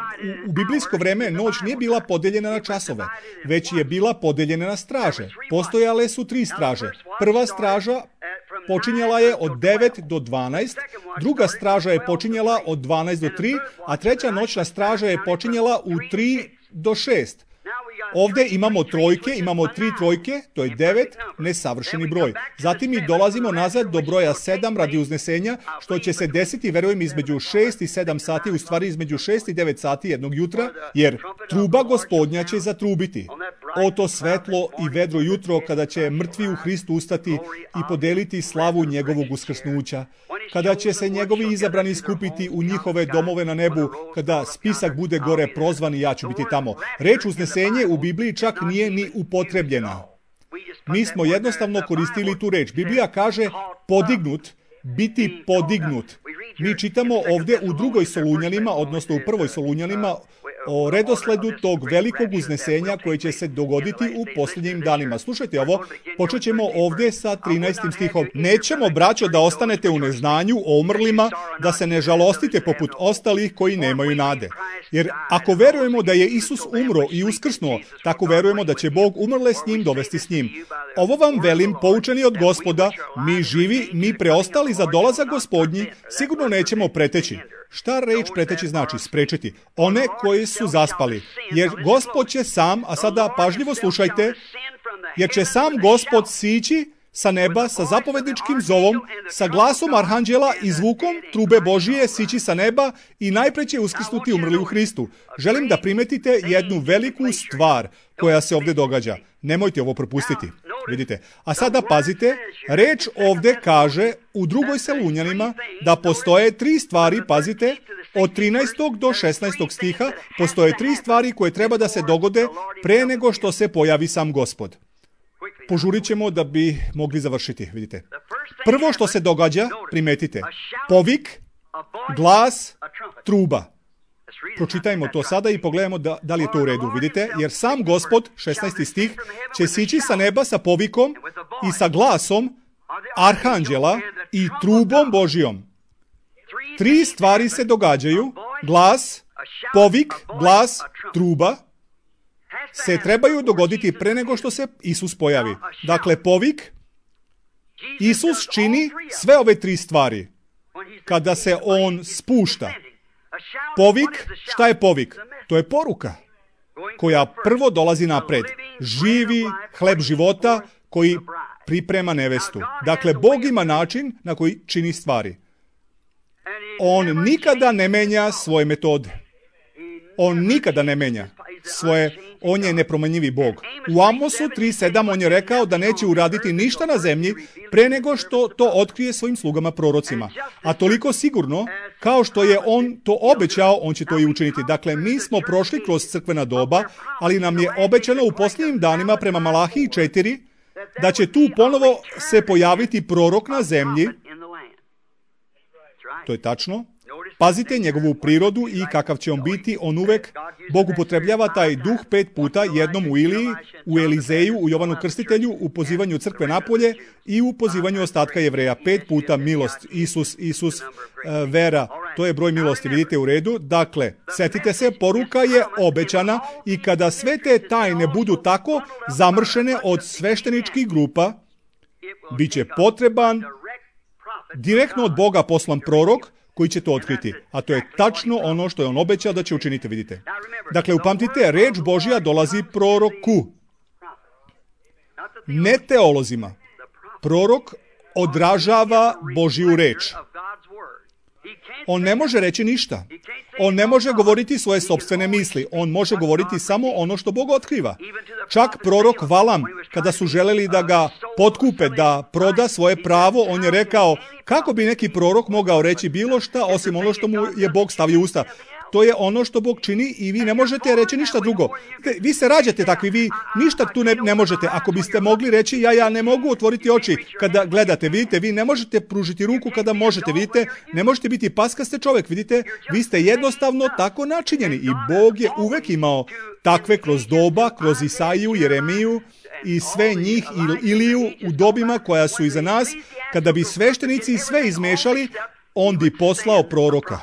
u biblijsko vreme noć nije bila podeljena na časove, već je bila podeljena na straže. Postojale su 3 straže. Prva straža počinjala je od 9 do 12, druga straža je počinjala od 12 do 3, a treća noćna straža je počinjala u 3 do 6. Ovdje imamo trojke, imamo 3 trojke, to je 9, nesavršeni broj. Zatim mi dolazimo nazad do broja 7 radi uznesenja, što će se desiti, verujem, između 6 i 7 sati, u stvari između 6 i 9 sati jednog jutra, jer truba Gospodnja će zatrubiti. O to svetlo i vedro jutro, kada će mrtvi u Hristu ustati i podeliti slavu njegovog uskrsnuća. Kada će se njegovi izabrani skupiti u njihove domove na nebu, kada spisak bude gore prozvan i ja ću biti tamo. Reč uznesenje u Bibliji čak nije ni upotrebljena. Mi smo jednostavno koristili tu reč. Biblija kaže podignut, biti podignut. Mi čitamo ovdje u 2. Solunjanima, odnosno u 1. Solunjanima, o redosledu tog velikog uznesenja koje će se dogoditi u posljednjim danima. Slušajte ovo, počet ćemo ovdje sa 13. stihom. Nećemo, braćo, da ostanete u neznanju o umrlima, da se ne žalostite poput ostalih koji nemaju nade. Jer ako verujemo da je Isus umro i uskrsnuo, tako verujemo da će Bog umrle s njim dovesti s njim. Ovo vam velim, poučeni od Gospoda, mi živi, mi preostali za dolazak Gospodnji, sigurno nećemo preteći. Šta reč preteći znači? Sprečiti. One koji su zaspali. Jer Gospod će sam, a sada pažljivo slušajte, jer će sam Gospod sići sa neba sa zapovedničkim zovom, sa glasom arhanđela i zvukom trube Božije sići sa neba i najpre će uskrsnuti umrli u Hristu. Želim da primetite jednu veliku stvar koja se ovdje događa. Nemojte ovo propustiti. Vidite. A sada pazite, reč ovdje kaže u 2. Solunjanima da postoje 3 stvari, pazite, od 13. do 16. stiha postoje 3 stvari koje treba da se dogode pre nego što se pojavi sam Gospod. Požurit ćemo da bi mogli završiti, vidite. Prvo što se događa, primetite, povik, glas, truba. Pročitajmo to sada i pogledajmo da li je to u redu, vidite, jer sam Gospod, 16. stih, će sići sa neba sa povikom i sa glasom arhanđela i trubom Božijom. 3 stvari se događaju, glas, povik, glas, truba, se trebaju dogoditi pre nego što se Isus pojavi. Dakle, povik, Isus čini sve ove 3 stvari kada se on spušta. Povik, šta je povik? To je poruka koja prvo dolazi napred. Živi hleb života koji priprema nevestu. Dakle, Bog ima način na koji čini stvari. On nikada ne menja svoje metode. On nikada ne menja svoje on je nepromenjivi Bog. U Amosu 3:7 on je rekao da neće uraditi ništa na zemlji pre nego što to otkrije svojim slugama prorocima. A toliko sigurno, kao što je on to obećao, on će to i učiniti. Dakle, mi smo prošli kroz crkvena doba, ali nam je obećano u posljednjim danima prema Malahiji 4 da će tu ponovo se pojaviti prorok na zemlji. To je tačno. Pazite njegovu prirodu i kakav će on biti. On uvek, Bog upotrebljava taj duh 5 puta, jednom u Iliji, u Elizeju, u Jovanu Krstitelju, u pozivanju crkve napolje i u pozivanju ostatka Jevreja. 5 puta milost, Isus, vera, to je broj milosti, vidite u redu. Dakle, setite se, poruka je obećana i kada sve te tajne budu tako zamršene od svešteničkih grupa, bit će potreban direktno od Boga poslan prorok koji će to otkriti. A to je tačno ono što je on obećao da će učiniti, vidite. Dakle, upamtite, reč Božja dolazi proroku. Ne teolozima. Prorok odražava Božju reč. On ne može reći ništa. On ne može govoriti svoje sopstvene misli. On može govoriti samo ono što Bog otkriva. Čak prorok Valam, kada su želeli da ga potkupe, da proda svoje pravo, on je rekao, kako bi neki prorok mogao reći bilo šta osim ono što mu je Bog stavio u usta. To je ono što Bog čini i vi ne možete reći ništa drugo. Vi se rađate takvi, vi ništa tu ne možete. Ako biste mogli reći, ja ne mogu otvoriti oči kada gledate, vidite, vi ne možete pružiti ruku kada možete, vidite, ne možete biti paskaste čovjek, vidite, vi ste jednostavno tako načinjeni i Bog je uvek imao takve kroz doba, kroz Isaiju, Jeremiju i sve njih Iliju u dobima koja su iza nas. Kada bi sveštenici sve izmešali, on bi poslao proroka.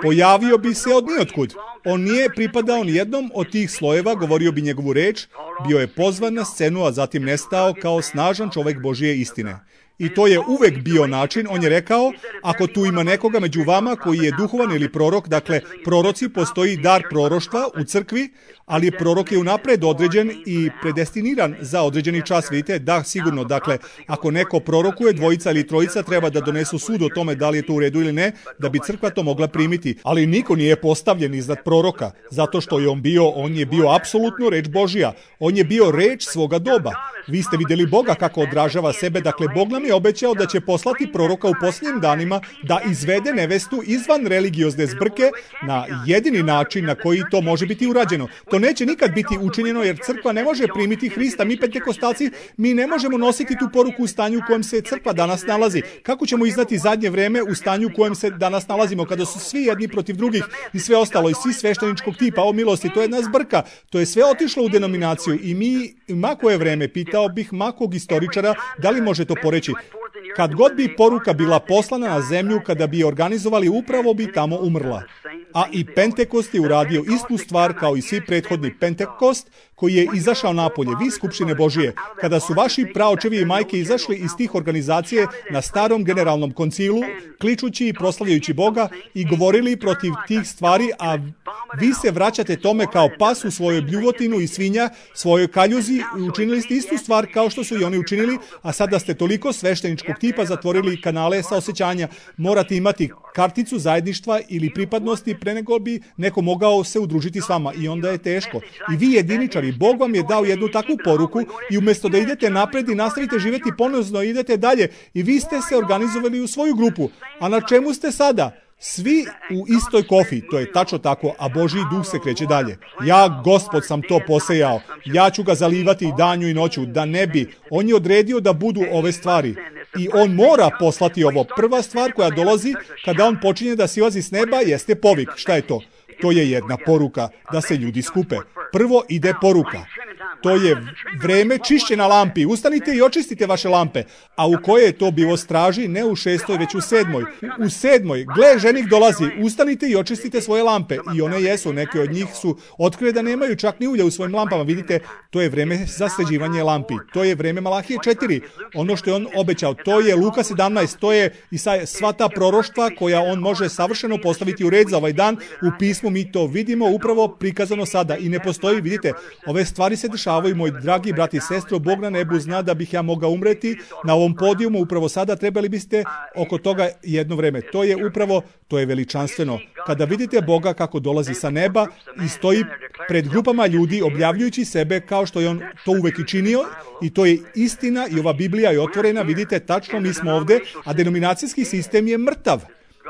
Pojavio bi se od nijotkud. On nije pripadao ni jednom od tih slojeva, govorio bi njegovu reč, bio je pozvan na scenu, a zatim nestao kao snažan čovjek Božije istine. I to je uvek bio način. On je rekao, ako tu ima nekoga među vama koji je duhovan ili prorok, dakle, proroci, postoji dar proroštva u crkvi, ali prorok je unapred određen i predestiniran za određeni čas. Vidite, da, sigurno, dakle, ako neko prorokuje, dvojica ili trojica treba da donesu sud o tome da li je to u redu ili ne, da bi crkva to mogla primiti. Ali niko nije postavljen iznad proroka, zato što je on je bio apsolutno reč Božja. On je bio reč svoga doba. Vi ste vidjeli Boga kako odražava sebe, dakle, Bog nam je obećao da će poslati proroka u posljednjim danima da izvede nevestu izvan religiozne zbrke na jedini način na koji to može biti urađeno. To neće nikad biti učinjeno jer crkva ne može primiti Hrista. Mi pentekostalci, mi ne možemo nositi tu poruku u stanju u kojem se crkva danas nalazi. Kako ćemo iznati zadnje vreme u stanju u kojem se danas nalazimo, kada su svi jedni protiv drugih i sve ostalo, i svi svešteničkog tipa, o milosti, to je jedna zbrka. To je sve otišlo u denominaciju i mi, mako je vreme, pitao bih makog istoričara, da li može to poreći. Kad god bi poruka bila poslana na zemlju, kada bi je organizovali, upravo bi tamo umrla. A i Pentekost je uradio istu stvar kao i svi prethodni Pentekost, koji je izašao napolje, vi skupštine Božije. Kada su vaši praočevi i majke izašli iz tih organizacije na starom generalnom koncilu, kličući i proslavljajući Boga i govorili protiv tih stvari, a vi se vraćate tome kao pas u svojoj bljuvotinu i svinja, svojoj kaljuzi i učinili ste istu stvar kao što su i oni učinili, a sada ste toliko svešteničkog tipa zatvorili kanale saosećanja. Morate imati karticu zajedništva ili pripadnosti pre nego bi neko mogao se udružiti s vama i onda je teško. I vi jediničari, Bog vam je dao jednu takvu poruku i umjesto da idete napred i nastavite živjeti ponozno, idete dalje i vi ste se organizovali u svoju grupu. A na čemu ste sada? Svi u istoj kofi, to je tačno tako, a Božji duh se kreće dalje. Ja, Gospod, sam to posejao. Ja ću ga zalivati i danju i noću, da ne bi. On je odredio da budu ove stvari. I on mora poslati ovo. Prva stvar koja dolazi kada on počinje da silazi s neba jeste povik. Šta je to? To je jedna poruka, da se ljudi skupe. Prvo ide poruka. To je vreme čišćenja lampi. Ustanite i očistite vaše lampe. A u koje je to bilo straži? Ne u 6. već u 7. U 7. Gle, ženik dolazi. Ustanite i očistite svoje lampe. I one jesu. Neke od njih su otkrile da nemaju čak ni ulja u svojim lampama. Vidite, to je vreme za sređivanje lampi. To je vreme Malahije 4. Ono što je on obećao. To je Luka 17. To je Isaija, sva ta proroštva koja on može savršeno postaviti u red za ovaj dan. U pismu mi to vidimo upravo prikazano sada. I ne postoji, vidite, ove stvari se dešavaju dešavaju, moj dragi brati i sestro, Bog na nebu zna da bih ja mogao umreti na ovom podijumu upravo sada, trebali biste oko toga jedno vreme. To je veličanstveno. Kada vidite Boga kako dolazi sa neba i stoji pred grupama ljudi objavljujući sebe kao što je on to uvek i činio, i to je istina i ova Biblija je otvorena, vidite tačno mi smo ovde, a denominacijski sistem je mrtav.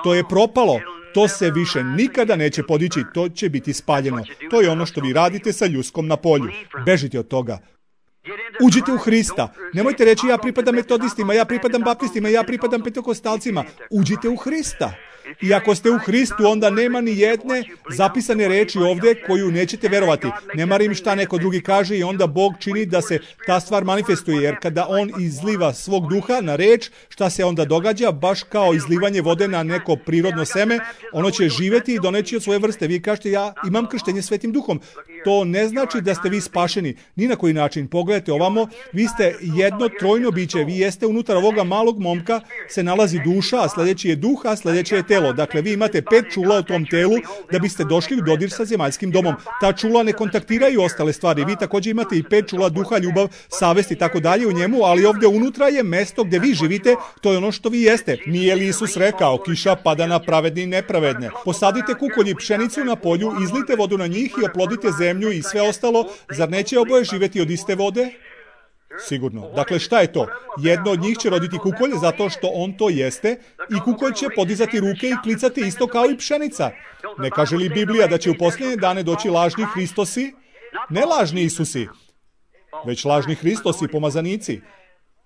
To je propalo. To se više nikada neće podići, to će biti spaljeno. To je ono što vi radite sa ljuskom na polju. Bežite od toga. Uđite u Hrista. Nemojte reći ja pripadam metodistima, ja pripadam baptistima, ja pripadam pentekostalcima. Uđite u Hrista. I ako ste u Hristu, onda nema ni jedne zapisane reči ovdje koju nećete verovati. Ne marim šta neko drugi kaže i onda Bog čini da se ta stvar manifestuje, jer kada On izliva svog duha na reč, šta se onda događa? Baš kao izlivanje vode na neko prirodno seme, ono će živjeti i doneći od svoje vrste. Vi kažete ja imam krštenje Svetim duhom. To ne znači da ste vi spašeni. Ni na koji način. Pogledajte ovamo, vi ste jedno trojno biće. Vi jeste unutar ovoga malog momka, se nalazi duša, a sljedeći je duh, a sljedeće je telo. Dakle, vi imate 5 čula u tom telu da biste došli u dodir sa zemaljskim domom. Ta čula ne kontaktiraju ostale stvari. Vi također imate i 5 čula duha, ljubav, savest i tako dalje u njemu, ali ovdje unutra je mesto gdje vi živite, to je ono što vi jeste. Nije li Isus rekao, kiša pada na pravedne i nepravedne? Posadite kukolj i pšenicu na polju, izlite vodu na njih i oplodite zemlju i sve ostalo. Zar neće oboje živjeti od iste vode? Sigurno. Dakle, šta je to? Jedno od njih će roditi kukolj zato što on to jeste i kukolj će podizati ruke i klicati isto kao i pšenica. Ne kaže li Biblija da će u posljednje dane doći lažni Hristosi? Ne lažni Isusi, već lažni Hristosi, pomazanici.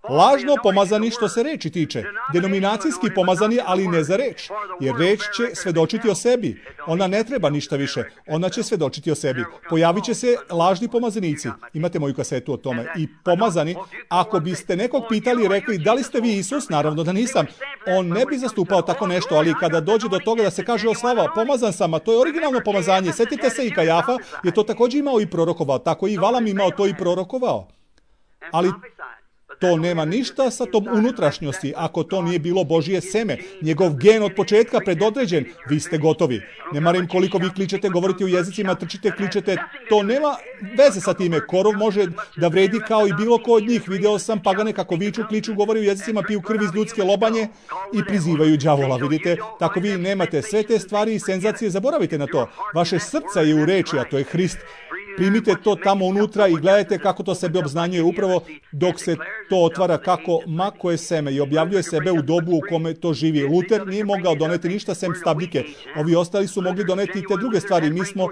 Lažno pomazani što se reči tiče. Denominacijski pomazani, ali ne za reč. Jer reč će svedočiti o sebi. Ona ne treba ništa više. Ona će svedočiti o sebi. Pojavit će se lažni pomazanici. Imate moju kasetu o tome. I pomazani, ako biste nekog pitali i rekli da li ste vi Isus, naravno da nisam. On ne bi zastupao tako nešto, ali kada dođe do toga da se kaže o slava, pomazan sam, a to je originalno pomazanje. Sjetite se i Kajafa je to također imao i prorokovao. Tako i Valam imao to i prorokovao. Ali to nema ništa sa tom unutrašnjosti. Ako to nije bilo Božije seme, njegov gen od početka predodređen, vi ste gotovi. Ne marim koliko vi kličete, govorite u jezicima, trčite, kličete, to nema veze sa time. Korov može da vredi kao i bilo ko od njih. Video sam pagane kako viču, kliču, govori u jezicima, piju krv iz ljudske lobanje i prizivaju đavola. Vidite, tako vi nemate sve te stvari i senzacije, zaboravite na to. Vaše srce je u reči, a to je Hrist. Primite to tamo unutra i gledajte kako to sebe obznanjuje upravo dok se to otvara, kako mako je seme i objavljuje sebe u dobu u kome to živi. Luter nije mogao doneti ništa sem stabljike. Ovi ostali su mogli doneti i te druge stvari. Mi smo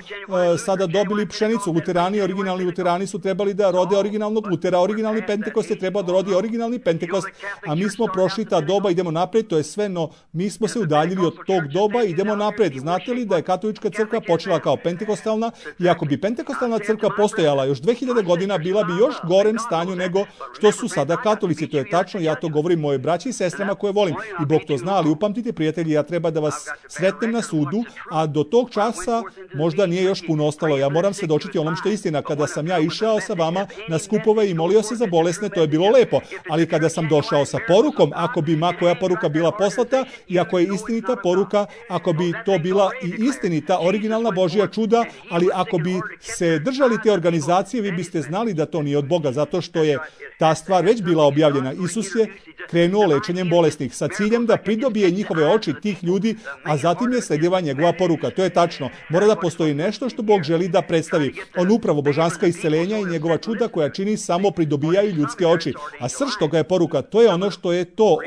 sada dobili pšenicu. Luterani, originalni luterani su trebali da rode originalnog Lutera. Originalni Pentekost je trebao da rodi originalni Pentekost, a mi smo prošli ta doba, idemo napred, to je sve, no mi smo se udaljili od tog doba i idemo napred. Znate li da je katolička crkva počela kao pentekostalna i ako bi pentekostalna crkva postojala još 2000 godina, bila bi još gorem stanju nego što su sada katolici. To je tačno, ja to govorim moje braći i sestrama koje volim. I Bog to zna, ali upamtite prijatelji, ja treba da vas sretnem na sudu, a do tog časa možda nije još puno ostalo. Ja moram svedočiti onom što je istina. Kada sam ja išao sa vama na skupove i molio se za bolesne, to je bilo lepo. Ali kada sam došao sa porukom, ako bi ma koja poruka bila poslata i ako je istinita poruka, ako bi to bila i istinita, originalna Božja čuda, ali ako bi se držali te organizacije, vi biste znali da to nije od Boga, zato što je ta stvar već bila objavljena. Isus je krenuo lečenjem bolesnih sa ciljem da pridobije njihove oči tih ljudi, a zatim je sledila njegova poruka. To je tačno. Mora da postoji nešto što Bog želi da predstavi. On upravo božanska isceljenja i njegova čuda koja čini samo pridobijaju ljudske oči. A srž toga je poruka. To je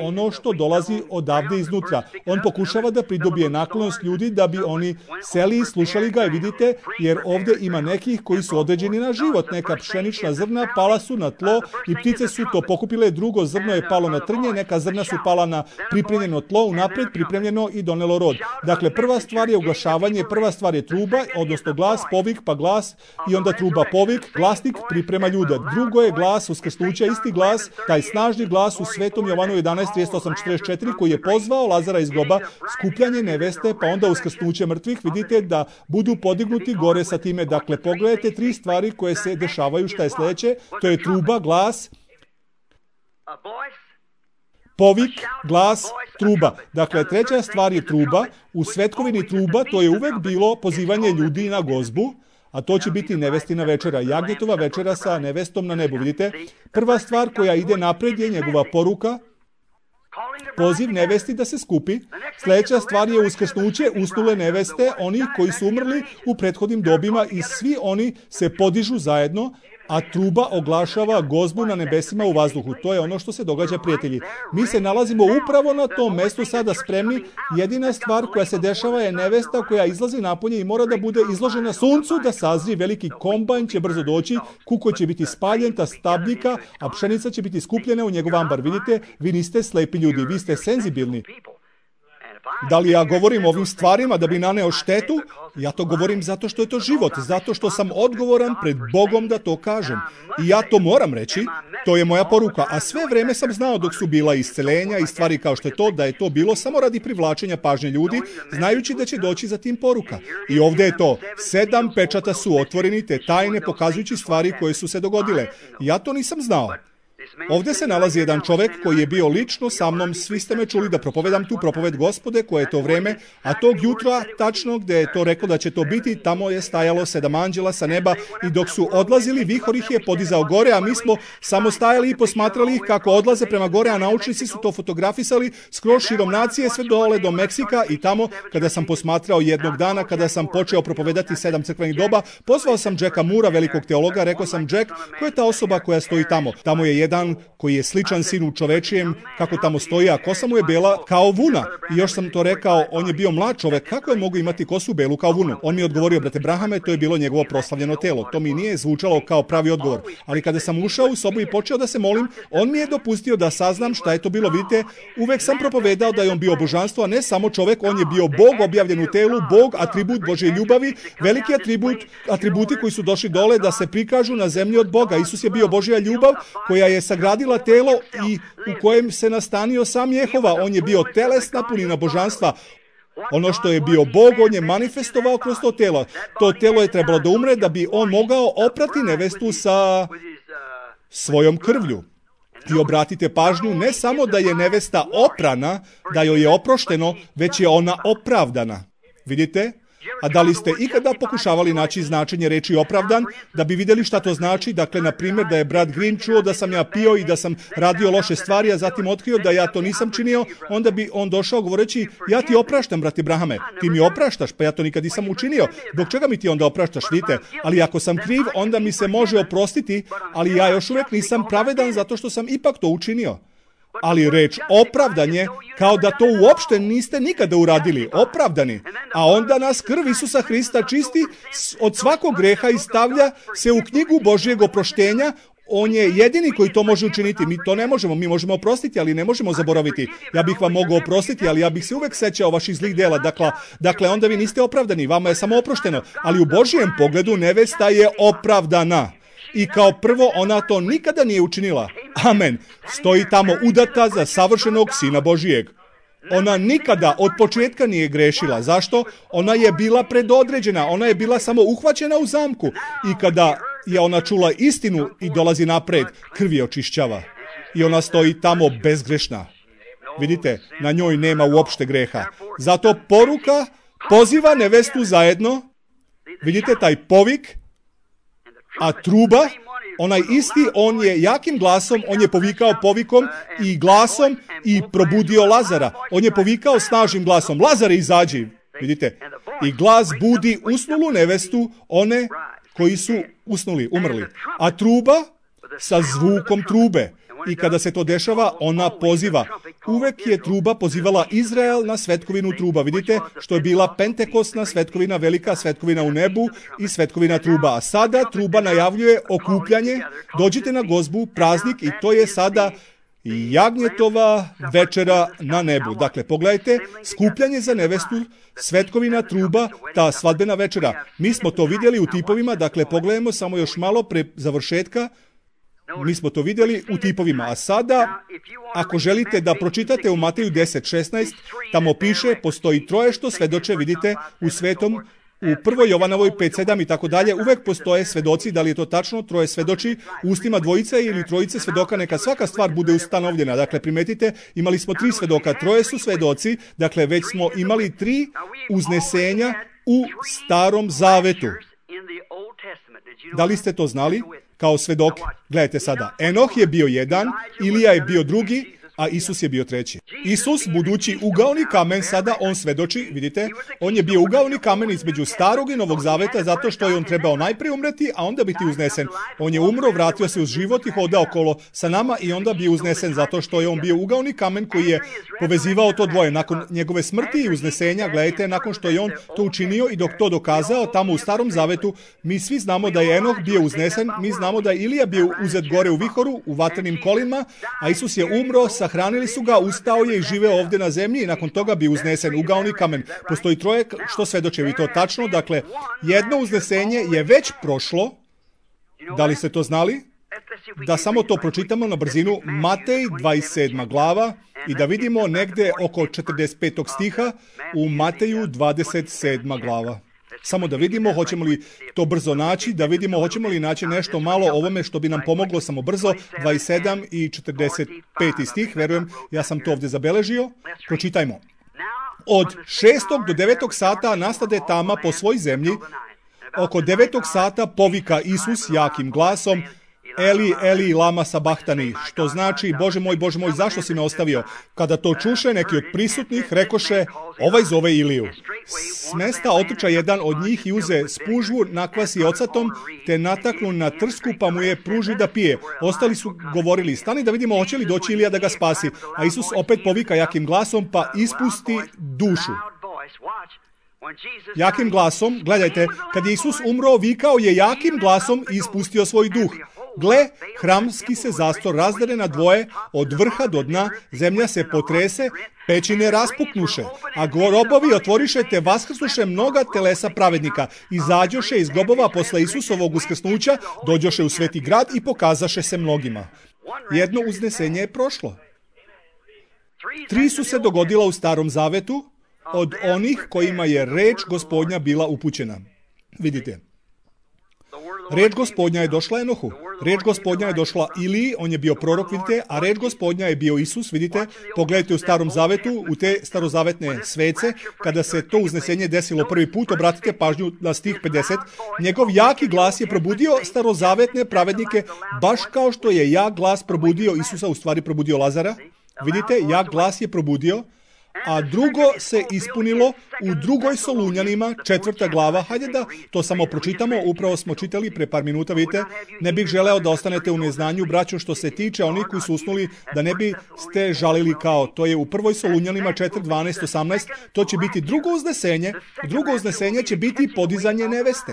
ono što dolazi odavde iznutra. On pokušava da pridobije naklonost ljudi da bi oni seli i slušali ga, i vidite, jer ovdje ima nekih koji su određeni na život. Neka pšenična zrna pala su na tlo i ptice su to pokupile, drugo zrno je palo na trnje, neka zrna su pala na pripremljeno tlo, unapred pripremljeno i donelo rod. Dakle, prva stvar je oglašavanje, prva stvar je truba, odnosno glas, povik, pa glas i onda truba, povik, glasnik priprema ljude. Drugo je glas uskrsnuća, isti glas, taj snažni glas u Svetom Jovanu 11:38-44 koji je pozvao Lazara iz groba, skupljanje neveste, pa onda uskrsnuće mrtvih. Vidite da budu podignuti gore sa time. Dakle, pogledajte 3 stvari koje se dešavaju. Šta je sljedeće? To je truba, glas, povik, glas, truba. Dakle, treća stvar je truba. U svetkovini truba to je uvek bilo pozivanje ljudi na gozbu, a to će biti nevestina večera, jagnjetova večera sa nevestom na nebu. Vidite, prva stvar koja ide napred je njegova poruka, poziv nevesti da se skupi. Sljedeća stvar je uskrsnuće usnule neveste, onih koji su umrli u prethodnim dobima i svi oni se podižu zajedno, a truba oglašava gozbu na nebesima u vazduhu. To je ono što se događa, prijatelji. Mi se nalazimo upravo na tom mestu sada spremni. Jedina stvar koja se dešava je nevesta koja izlazi napolje i mora da bude izložena suncu, da sazri. Veliki kombajn će brzo doći, kukolj će biti spaljen, ta stabljika, a pšenica će biti skupljena u njegov ambar. Vidite, vi niste slepi ljudi, vi ste senzibilni. Da li ja govorim o ovim stvarima da bi naneo štetu? Ja to govorim zato što je to život, zato što sam odgovoran pred Bogom da to kažem. I ja to moram reći, to je moja poruka. A sve vreme sam znao dok su bila isceljenja i stvari kao što je to, da je to bilo samo radi privlačenja pažnje ljudi, znajući da će doći za tim poruka. I ovdje je to, 7 pečata su otvoreni, te tajne pokazujući stvari koje su se dogodile. Ja to nisam znao. Ovdje se nalazi jedan čovjek koji je bio lično sa mnom, svi ste me čuli da propovedam tu propoved Gospode, koje je to vreme, a tog jutra, tačno gdje je to rekao da će to biti, tamo je stajalo 7 anđela sa neba i dok su odlazili, vihor ih je podizao gore, a mi smo samo stajali i posmatrali ih kako odlaze prema gore, a naučnici su to fotografisali skroz širom nacije, sve dole do Meksika i tamo, kada sam posmatrao jednog dana, kada sam počeo propovedati 7 crkvenih doba, pozvao sam Jacka Moora, velikog teologa, rekao sam: Jack, ko je ta osoba koja stoji tamo? Tamo je jedan koji je sličan sinu čovečijem, kako tamo stoji, a kosa mu je bela kao vuna. I još sam to rekao, on je bio mlad čovek, kako je mogu imati kosu belu kao vunu? On mi je odgovorio: brate Brahame, to je bilo njegovo proslavljeno telo. To mi nije zvučalo kao pravi odgovor. Ali kada sam ušao u sobu i počeo da se molim, on mi je dopustio da saznam šta je to bilo. Vidite, uvek sam propovedao da je on bio božanstvo, a ne samo čovek, on je bio Bog objavljen u telu, Bog, atribut Božje ljubavi, veliki atributi koji su došli dole da se prikažu na zemlji od Boga. Isus je bio Božja ljubav koja je sagradila telo i u kojem se nastanio sam Jehova. On je bio telesna punina božanstva. Ono što je bio Bog, on je manifestovao kroz to telo. To telo je trebalo da umre da bi on mogao oprati nevestu sa svojom krvlju. I obratite pažnju, ne samo da je nevesta oprana, da joj je oprošteno, već je ona opravdana. Vidite? A da li ste ikada pokušavali naći značenje reči opravdan, da bi vidjeli šta to znači? Dakle, na primjer, da je brat Green čuo da sam ja pio i da sam radio loše stvari, a zatim otkrio da ja to nisam činio, onda bi on došao govoreći: ja ti opraštam, brate Brahame, ti mi opraštaš, pa ja to nikad nisam učinio. Zbog čega mi ti onda opraštaš, vidite? Ali ako sam kriv, onda mi se može oprostiti, ali ja još uvijek nisam pravedan zato što sam ipak to učinio. Ali reč opravdanje, kao da to uopšte niste nikada uradili, opravdani. A onda nas krv Isusa Hrista čisti od svakog greha i stavlja se u knjigu Božjeg oproštenja. On je jedini koji to može učiniti. Mi to ne možemo. Mi možemo oprostiti, ali ne možemo zaboraviti. Ja bih vam mogao oprostiti, ali ja bih se uvek sećao vaših zlih dela. Dakle, onda vi niste opravdani. Vama je samo oprošteno. Ali u Božjem pogledu nevesta je opravdana. I kao prvo, ona to nikada nije učinila. Amen. Stoji tamo udata za savršenog Sina Božijeg. Ona nikada od početka nije grešila. Zašto? Ona je bila predodređena. Ona je bila samo uhvaćena u zamku. I kada je ona čula istinu i dolazi napred, krv je očišćava. I ona stoji tamo bezgrešna. Vidite, na njoj nema uopšte greha. Zato poruka poziva nevestu zajedno. Vidite taj povik, a truba, onaj isti, on je jakim glasom, on je povikao povikom i glasom i probudio Lazara. On je povikao snažnim glasom: Lazare, izađi. Vidite, i glas budi usnulu nevestu, one koji su usnuli, umrli. A truba sa zvukom trube. I kada se to dešava, ona poziva. Uvek je truba pozivala Izrael na svetkovinu truba. Vidite, što je bila pentekostna svetkovina, velika svetkovina u nebu i svetkovina truba. A sada truba najavljuje okupljanje. Dođite na gozbu, praznik, i to je sada jagnjetova večera na nebu. Dakle, pogledajte, skupljanje za nevestu, svetkovina truba, ta svadbena večera. Mi smo to vidjeli u tipovima, dakle, pogledajmo samo još malo pre završetka. Mi smo to vidjeli u tipovima, a sada, ako želite da pročitate u Mateju 10:16, tamo piše: postoji troje što svedoče, vidite, u svetom, u 1. Jovanovoj 5:7 i tako dalje, uvek postoje svedoci. Da li je to tačno? Troje svedoči, u ustima dvojice ili trojice svedoka, neka svaka stvar bude ustanovljena. Dakle, primetite, imali smo 3 svedoka, troje su svedoci, dakle, već smo imali 3 uznesenja u Starom Zavetu. Da li ste to znali? Kao svedoke. Gledajte sada. Enoh je bio jedan, Ilija je bio drugi, a Isus je bio treći. Isus, budući ugaoni kamen, sada on svedoči, vidite, on je bio ugaoni kamen između starog i novog zaveta zato što je on trebao najprije umreti, a onda biti uznesen. On je umro, vratio se uz život i hodao okolo sa nama i onda bio uznesen zato što je on bio ugaoni kamen koji je povezivao to dvoje. Nakon njegove smrti i uznesenja, gledajte, nakon što je on to učinio i dok to dokazao, tamo u starom zavetu, mi svi znamo da je Enoh bio uznesen, mi znamo da je Ilija bio uzet gore u vihoru, u vatrenim kolima, a Isus je umro, sahranili su ga, ustao je i živeo ovdje na zemlji i nakon toga bi uznesen ugaoni kamen. Postoji troje što svedoče, vi to tačno, dakle, jedno uznesenje je već prošlo, da li ste to znali? Da samo to pročitamo na brzinu, Matej 27. glava i da vidimo negdje oko 45. stiha u Mateju 27. glava. Samo da vidimo hoćemo li to brzo naći, da vidimo hoćemo li naći nešto malo ovome što bi nam pomoglo samo brzo, 27 i 45. stih, verujem, ja sam to ovdje zabeležio. Pročitajmo. Od 6. do 9. sata nastade tama po svoj zemlji, oko 9. sata povika Isus jakim glasom, Eli, Eli, lama sabahtani, što znači, Bože moj, zašto si me ostavio? Kada to čuše neki od prisutnih, rekoše, ovaj zove Iliju. S mesta otrča jedan od njih i uze spužvu, nakvasi ocatom, te nataknu na trsku, pa mu je pruži da pije. Ostali su govorili, stani da vidimo hoće li doći Ilija da ga spasi. A Isus opet povika jakim glasom, pa ispusti dušu. Jakim glasom, gledajte, kad je Isus umro, vikao je jakim glasom i ispustio svoj duh. Gle, hramski se zastor razdere na dvoje, od vrha do dna, zemlja se potrese, pećine raspuknuše, a grobovi otvoriše te vaskrsnuše mnoga telesa pravednika. Izađoše iz grobova posle Isusovog uskrsnuća, dođoše u sveti grad i pokazaše se mnogima. Jedno uznesenje je prošlo. 3 su se dogodila u Starom zavetu od onih kojima je reč Gospodnja bila upućena. Vidite. Reč Gospodnja je došla Enohu. Reč Gospodnja je došla Iliji, on je bio prorok, vidite, a reč Gospodnja je bio Isus, vidite. Pogledajte u Starom zavetu, u te starozavetne svece, kada se to uznesenje desilo prvi put, obratite pažnju na stih 50. Njegov jaki glas je probudio starozavetne pravednike, baš kao što je jak glas probudio Isusa, u stvari probudio Lazara. Vidite, jak glas je probudio, a drugo se ispunilo u 2. Solunjanima, 4. glava. Hajde da to samo pročitamo, upravo smo čitali pre par minuta, vidite. Ne bih želeo da ostanete u neznanju, braćo, što se tiče onih koji su usnuli, da ne bi ste žalili kao. To je u 1. Solunjanima 4, 12, 18. To će biti drugo uznesenje. Drugo uznesenje će biti podizanje neveste.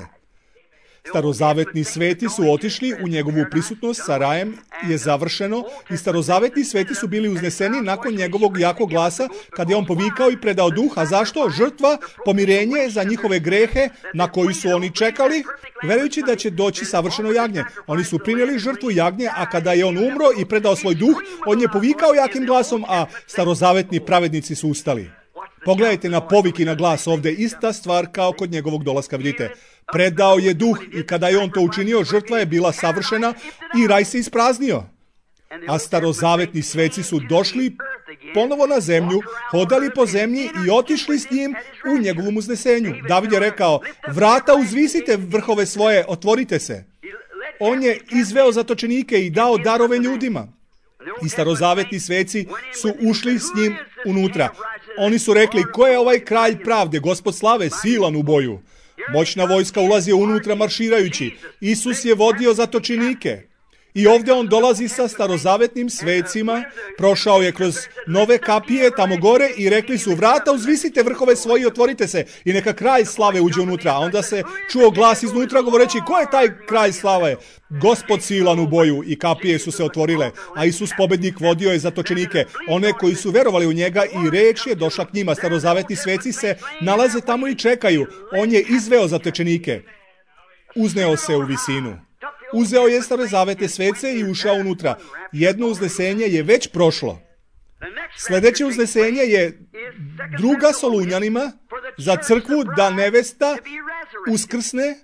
Starozavetni sveti su otišli u njegovu prisutnost, sa rajem je završeno i starozavetni sveti su bili uzneseni nakon njegovog jakog glasa kad je on povikao i predao duh. A zašto? Žrtva, pomirenje za njihove grehe na koji su oni čekali, verujući da će doći savršeno jagnje. Oni su prinijeli žrtvu jagnje, a kada je on umro i predao svoj duh, on je povikao jakim glasom, a starozavetni pravednici su ustali. Pogledajte na povik i na glas ovdje, ista stvar kao kod njegovog dolaska, vidite. Predao je duh i kada je on to učinio, žrtva je bila savršena i raj se ispraznio. A starozavetni sveci su došli ponovo na zemlju, hodali po zemlji i otišli s njim u njegovom uznesenju. David je rekao, vrata uzvisite vrhove svoje, otvorite se. On je izveo zatočenike i dao darove ljudima. I starozavetni sveci su ušli s njim unutra. Oni su rekli, ko je ovaj kralj pravde, Gospod slave, silan u boju. Moćna vojska ulazi unutra marširajući. Isus je vodio zatočenike. I ovdje on dolazi sa starozavetnim svecima, prošao je kroz nove kapije tamo gore i rekli su, vrata uzvisite vrhove svoji i otvorite se i neka kralj slave uđe unutra. A onda se čuo glas iznutra govoreći, ko je taj kralj slave? Gospod silan u boju, i kapije su se otvorile, a Isus pobednik vodio je zatočenike, one koji su verovali u njega, i reč je došla k njima. Starozavetni sveci se nalaze tamo i čekaju. On je izveo zatočenike. Uzneo se u visinu. Uzeo je starozavetne svece i ušao unutra. Jedno uznesenje je već prošlo. Sljedeće uznesenje je 2. Solunjanima za crkvu da nevesta uskrsne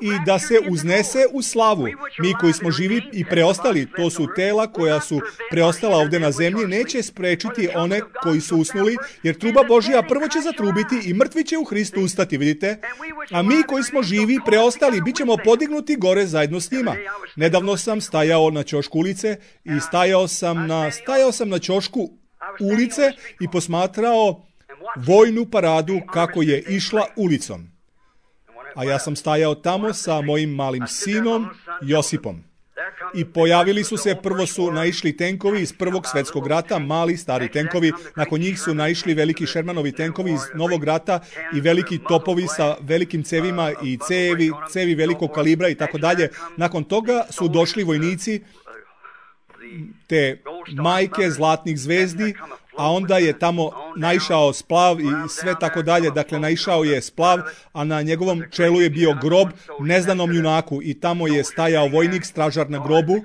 i da se uznese u slavu. Mi koji smo živi i preostali, to su tela koja su preostala ovdje na zemlji, neće sprečiti one koji su usnuli, jer truba Božja prvo će zatrubiti i mrtvi će u Hristu ustati, vidite? A mi koji smo živi, preostali, bit ćemo podignuti gore zajedno s njima. Nedavno sam stajao na ćošku ulice i stajao sam na ćošku ulice i posmatrao vojnu paradu kako je išla ulicom. A ja sam stajao tamo sa mojim malim sinom Josipom. I pojavili su se, prvo su naišli tenkovi iz Prvog svjetskog rata, mali, stari tenkovi, nakon njih su naišli veliki Shermanovi tenkovi iz Novog rata i veliki topovi sa velikim cevima i cevi velikog kalibra i tako dalje. Nakon toga su došli vojnici, te majke zlatnih zvezdi, a onda je tamo naišao splav i sve tako dalje. Dakle, naišao je splav, a na njegovom čelu je bio grob neznanom junaku i tamo je stajao vojnik, stražar na grobu,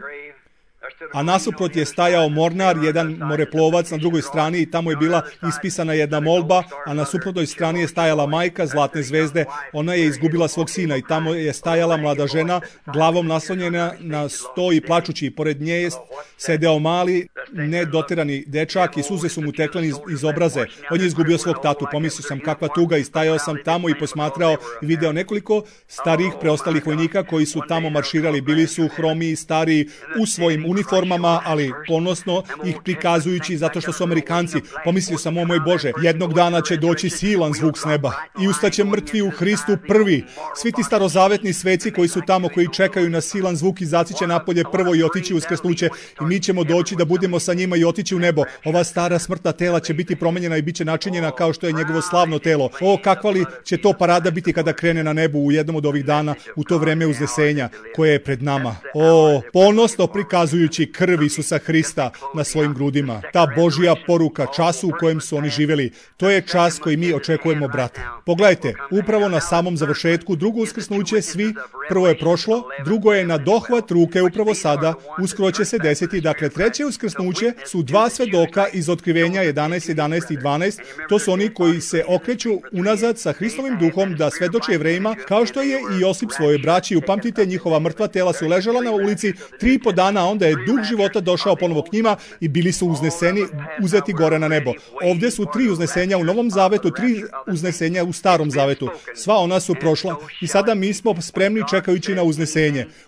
a nasuprot je stajao mornar, jedan moreplovac na drugoj strani i tamo je bila ispisana jedna molba, a na suprotnoj strani je stajala majka zlatne zvezde. Ona je izgubila svog sina i tamo je stajala mlada žena, glavom naslonjena na sto i plačući. Pored nje je sedeo mali, nedoterani dečak i suze su mu tekle iz obraze. On je izgubio svog tatu. Pomislio sam kakva tuga i stajao sam tamo i posmatrao i video nekoliko starih preostalih vojnika koji su tamo marširali. Bili su hromi, stari, u svojim uniformama, ali ponosno ih prikazujući zato što su Amerikanci. Pomislio sam, o moj Bože, jednog dana će doći silan zvuk s neba i ustaće mrtvi u Hristu prvi. Svi ti starozavetni sveci koji su tamo, koji čekaju na silan zvuk, izaći će napolje prvo i otići uskrsnuće i mi ćemo doći da budemo sa njima i otići u nebo. Ova stara smrtna tela će biti promenjena i bit će načinjena kao što je njegovo slavno telo. O, kakva li će to parada biti kada krene na nebu u jednom od ovih dana, u to vreme uznesenja koje je pred nama. O, ponosno prikazujući krv Isusa Hrista na svojim grudima. Ta Božja poruka času u kojem su oni živjeli, to je čas koji mi očekujemo, brate. Pogledajte, upravo na samom završetku, drugo uskrsnuće, svi, prvo je prošlo, drugo je na dohvat ruke upravo sada, uskoro će se desiti. Dakle, treće uskrsnuće su dva svedoka iz Otkrivenja 11, 11 i 12. To su oni koji se okreću unazad sa Hristovim duhom da svedoče Jevrejima, kao što je i Josip svoje braći. Upamtite, njihova mrtva tela su ležala na ulici 3,5 dana, a onda je duh života došao ponovo k njima i bili su uzneseni, uzeti gore na nebo. Ovdje su 3 uznesenja u Novom Zavetu, 3 uznesenja u Starom Zavetu. Sva ona su prošla i sada mi smo spremni čekajući na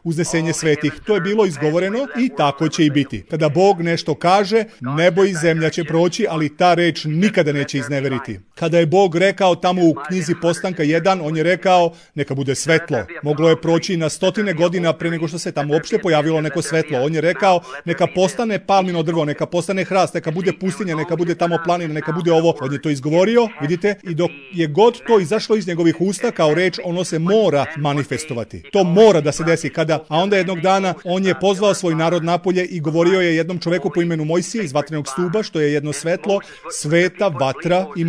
uznesenje svetih. To je bilo izgovoreno i tako će i biti. Kada Bog nešto kaže, nebo i zemlja će proći, ali ta reč nikada neće izneveriti. Kada je Bog rekao tamo u knjizi Postanka 1, on je rekao, neka bude svetlo. Moglo je proći na 100 godina pre nego što se tamo uopšte pojavilo neko svetlo. On je rekao, neka postane palmino drvo, neka postane hrast, neka bude pustinja, neka bude tamo planina, neka bude ovo. On je to izgovorio, vidite, i dok je god to izašlo iz njegovih usta kao reč, ono se mora manifestovati. To mora da se desi. A onda jednog dana on je pozvao svoj narod napolje i govorio je jednom čoveku po imenu Mojsije iz vatrenog stuba, što je jedno svetlo, sveta vatra, i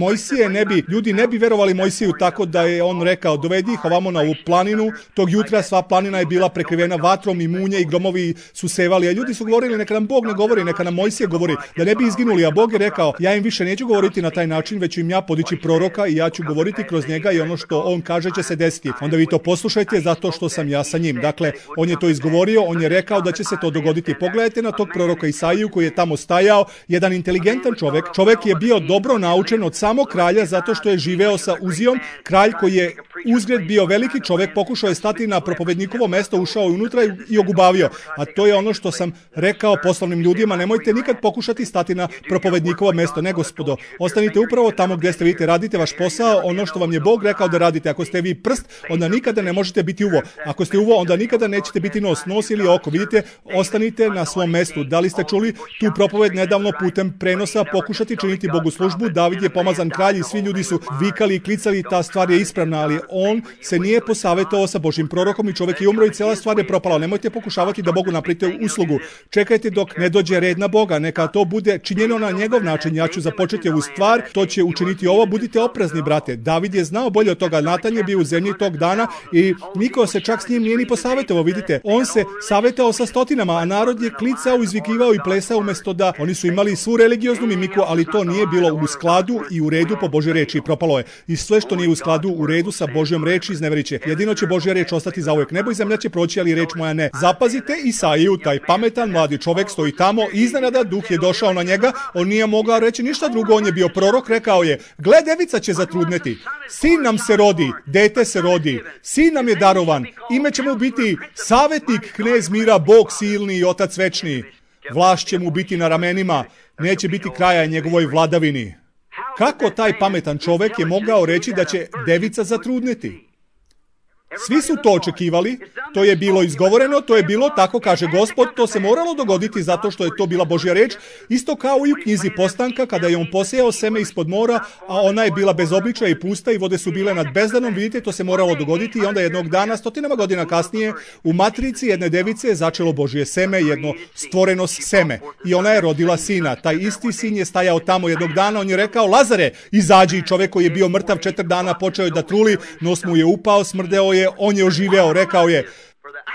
ljudi ne bi verovali Mojsiju, tako da je on rekao, dovedi ih ovamo na ovu planinu. Tog jutra sva planina je bila prekrivena vatrom i munje i gromovi su sevali, a ljudi su govorili, neka nam Bog ne govori, neka nam Mojsije govori, da ne bi izginuli. A Bog je rekao, ja im više neću govoriti na taj način, već ću im ja podići proroka i ja ću govoriti kroz njega i ono što on kaže će se desiti. Onda vi to poslušajte zato što sam ja sa njim. Dakle, on je to izgovorio, on je rekao da će se to dogoditi. Pogledajte na tog proroka Isaiju koji je tamo stajao, jedan inteligentan čovjek je bio dobro naučen od samog kralja zato što je živeo sa Uzijom. Kralj koji je uzgred bio veliki čovjek, pokušao je stati na propovednikovo mesto, ušao je unutra i ogubavio. A to je ono što sam rekao poslovnim ljudima, nemojte nikad pokušati stati na propovednikovo mesto. Ne, gospodo, ostanite upravo tamo gdje ste, vidite, radite vaš posao, ono što vam je Bog rekao da radite. Ako ste vi prst, onda nikada ne možete biti uvo. Ako ste uvo, onda nikada nećete biti nos ili oko. Vidite, ostanite na svom mestu. Da li ste čuli tu propoved nedavno putem prenosa, pokušati činiti Bogu službu? David je pomazan kralj i svi ljudi su vikali i klicali, ta stvar je ispravna, ali on se nije posavjetovao sa Božjim prorokom i čovjek je umro i cijela stvar je propala. Nemojte pokušavati da Bogu napravite uslugu. Čekajte dok ne dođe red na Boga. Neka to bude činjeno na njegov način. Ja ću započeti ovu stvar, to će učiniti ovo. Budite oprezni, brate. David je znao bolje od toga. Natan je bio u zemlji tog dana i niko se čak s njim nije ni posavjetovao. Vidite, on se savjetovao sa stotinama, a narod je klicao, izvikivao i plesao umjesto da oni su imali svu religioznu mimiku, ali to nije bilo u skladu i u redu po Božoj reči. Propalo je. I sve što nije u skladu, u redu sa Božjom Božjom reči izneverit će. Jedino će Božja reč ostati zauvek. Nebo i zemlja će proći, ali reč moja ne. Zapazite Isaiju, taj pametan mladi čovek stoji tamo, iznenada duh je došao na njega, on nije mogao reći ništa drugo, on je bio prorok, rekao je, gle, devica će zatrudneti, sin nam se rodi, dete se rodi, sin nam je darovan, ime će mu biti savjetnik, knez mira, Bog silni i Otac večni. Vlast će mu biti na ramenima, neće biti kraja njegovoj vladavini. Kako taj pametan čovek je mogao reći da će devica zatrudneti? Svi su to očekivali, to je bilo izgovoreno, to je bilo, tako kaže Gospod, to se moralo dogoditi zato što je to bila Božja reč, isto kao i u knjizi Postanka kada je on posejao seme ispod mora, a ona je bila bez obličaja i pusta i vode su bile nad bezdanom, vidite, to se moralo dogoditi i onda jednog dana, stotinama godina kasnije, u matrici jedne device je začelo Božje seme, jedno stvoreno seme i ona je rodila sina. Taj isti sin je stajao tamo jednog dana, on je rekao, Lazare, izađi, čovjek koji je bio mrtav 4 dana, počeo je da truli, nos mu je upao, smrdeo je, on je oživeo, rekao je,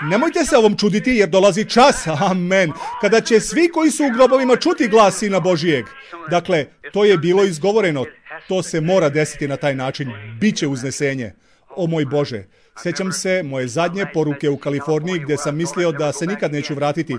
nemojte se ovom čuditi jer dolazi čas, amen, kada će svi koji su u grobovima čuti glas Sina Božijeg. Dakle, to je bilo izgovoreno, to se mora desiti na taj način, biće uznesenje. O moj Bože, sjećam se moje zadnje poruke u Kaliforniji gdje sam mislio da se nikad neću vratiti,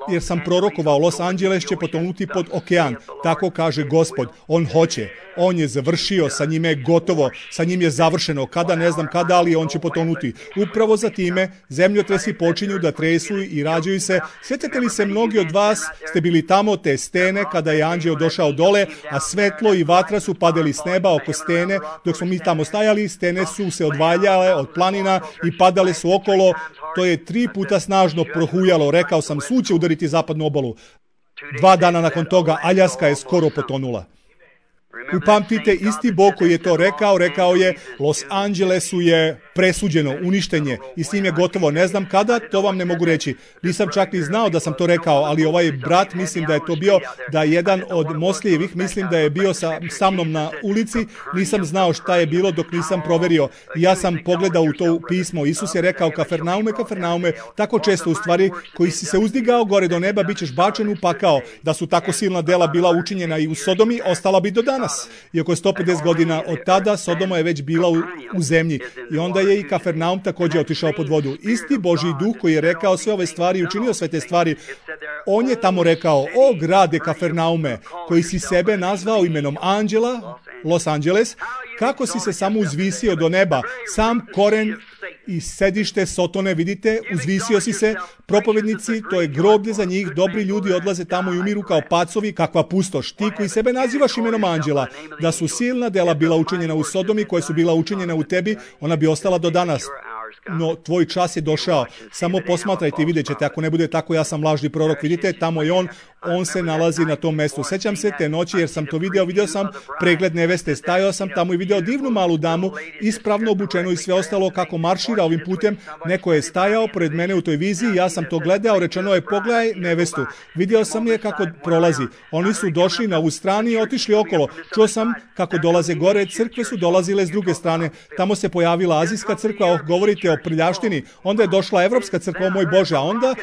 jer sam prorokovao Los Angeles će potonuti pod okean. Tako kaže Gospod, on hoće. On je završio, sa njime je gotovo, sa njim je završeno, kada ne znam kada, ali on će potonuti. Upravo za time zemljotresi počinju da tresu i rađaju se. Sjećate li se, mnogi od vas ste bili tamo te stene kada je anđeo došao dole, a svetlo i vatra su padali s neba oko stene. Dok smo mi tamo stajali, stene su se odvaljale od planina i padale su okolo. To je 3 puta snažno prohujalo. Rekao sam, sud će udariti zapadnu obalu. 2 dana nakon toga Aljaska je skoro potonula. Upamtite, isti Bog koji je to rekao je, Los Angelesu je presuđeno, uništenje i s njim je gotovo. Ne znam kada, to vam ne mogu reći. Nisam čak ni znao da sam to rekao, ali ovaj brat, mislim da je to bio, da jedan od Moslijevih, mislim da je bio sa mnom na ulici, nisam znao šta je bilo dok nisam proverio. I ja sam pogledao u to pismo. Isus je rekao, Kafernaume, Kafernaume, tako često u stvari, koji si se uzdigao gore do neba, bit ćeš bačen u pakao. Da su tako silna dela bila učinjena i u Sodomi, ostala bi do danas. Iako je 150 godina od tada, Sodoma je već bila u zemlji. I onda je i Kafernaum također otišao pod vodu. Isti Božji duh koji je rekao sve ove stvari i učinio sve te stvari, on je tamo rekao, o grade Kafernaume, koji si sebe nazvao imenom anđela, Los Angeles, kako si se samo uzvisio do neba, sam koren i sedište Sotone, vidite, uzvisio si se, propovednici, to je groblje za njih, dobri ljudi odlaze tamo i umiru kao pacovi, kakva pustoš. Ti koji sebe nazivaš imenom anđela, da su silna dela bila učinjena u Sodomi, koje su bila učinjena u tebi, ona bi ostala do danas. No, tvoj čas je došao. Samo posmatrajte i vidjet ćete, ako ne bude tako, ja sam lažni prorok, vidite, tamo je on se nalazi na tom mjestu. Sećam se te noći jer sam to vidio sam pregled neveste, stajao sam tamo i vidio divnu malu damu, ispravno obučenu i sve ostalo kako maršira ovim putem. Neko je stajao pred mene u toj viziji, ja sam to gledao, rečeno je, pogledaj nevestu. Vidio sam je kako prolazi. Oni su došli na ovu stranu i otišli okolo. Čuo sam kako dolaze gore, crkve su dolazile s druge strane. Tamo se pojavila azijska crkva, govorite o prljaštini, onda je došla evropska crkva, o moj Bože, a onda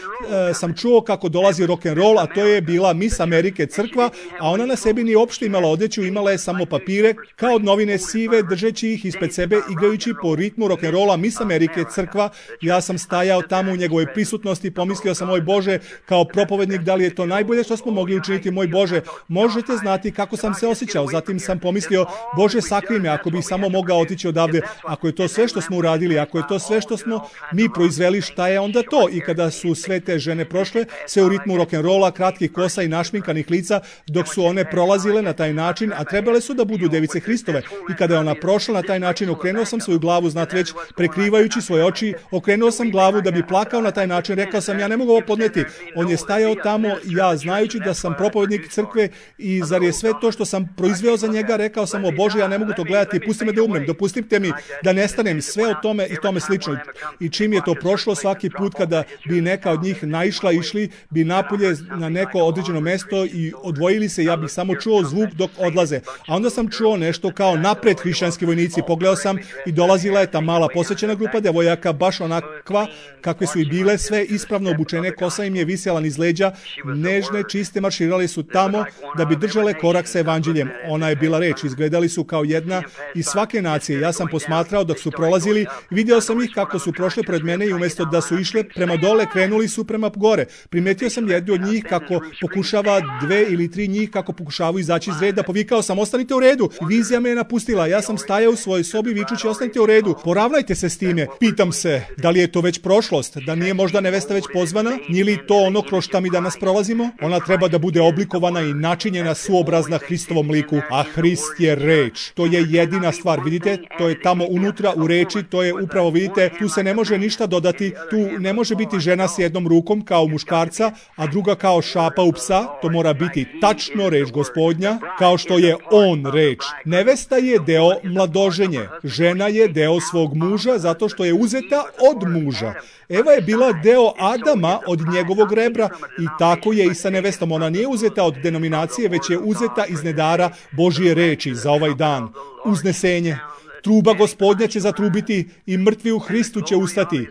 sam čuo kako dolazi rock'n'roll, a to je bila Miss Amerike crkva, a ona na sebi nije uopšte imala odeću, imala je samo papire, kao od novine sive, držeći ih ispred sebe, igrajući po ritmu rock'n'rolla. Miss Amerike crkva, ja sam stajao tamo u njegovoj prisutnosti, pomislio sam, moj Bože, kao propovednik, da li je to najbolje što smo mogli učiniti, moj Bože, možete znati kako sam se osjećao. Zatim sam pomislio, Bože, sakri me, ako bih samo mogao otići odavde, ako je to sve što smo uradili, ako je to sve što smo mi proizveli, šta je onda to? I kada su sve te žene prošle, sve u ritmu rock'n'rolla, kratkih kosa i našminkanih lica, dok su one prolazile na taj način, a trebale su da budu device Hristove. I kada je ona prošla na taj način, okrenuo sam svoju glavu, znate već, prekrivajući svoje oči, okrenuo sam glavu da bi plakao na taj način, rekao sam, ja ne mogu ovo podneti. On je stajao tamo, ja znajući da sam propovednik crkve i zar je sve to što sam proizveo za njega, rekao sam, o Bože, ja ne mogu to gledati, pusti me da umrem, dopustite mi da nestanem, sve o tome i tome slično. I čim je to prošlo, svaki put kada bi neka od njih naišla, išli bi napolje na neko određeno mesto i odvojili se, ja bih samo čuo zvuk dok odlaze. A onda sam čuo nešto kao napred hrišćanski vojnici, pogledao sam i dolazila je ta mala posvećena grupa devojaka, baš crkva, kakve su i bile, sve ispravno obučene, kosa im je visjela niz leđa, nežne, čiste, marširale su tamo da bi držale korak sa evanđeljem. Ona je bila reč, izgledali su kao jedna iz svake nacije. Ja sam posmatrao dok su prolazili, vidio sam ih kako su prošle pred mene i umjesto da su išle prema dole, krenuli su prema gore. Primetio sam jednu od njih kako pokušava, 2 ili 3 njih kako pokušavaju izaći iz reda. Povikao sam, ostanite u redu. Vizija me je napustila. Ja sam stajao u svojoj sobi vičući, ostanite u redu. Poravnajte se s time. Pitam se, da li je to već prošlost? Da nije možda nevesta već pozvana? Nije li to ono kroz šta mi danas prolazimo? Ona treba da bude oblikovana i načinjena suobrazna Hristovom liku, a Hrist je reč. To je jedina stvar. Vidite, to je tamo unutra u reči, to je upravo, vidite, tu se ne može ništa dodati, tu ne može biti žena s jednom rukom kao muškarca, a druga kao šapa u psa. To mora biti tačno reč Gospodnja, kao što je on reč. Nevesta je deo mladoženje. Žena je deo svog muža zato što je uzeta od muža. Eva je bila deo Adama od njegovog rebra i tako je i sa nevestom. Ona nije uzeta od denominacije, već je uzeta iz nedara Božje reči za ovaj dan. Uznesenje. Truba Gospodnja će zatrubiti i mrtvi u Hristu će ustati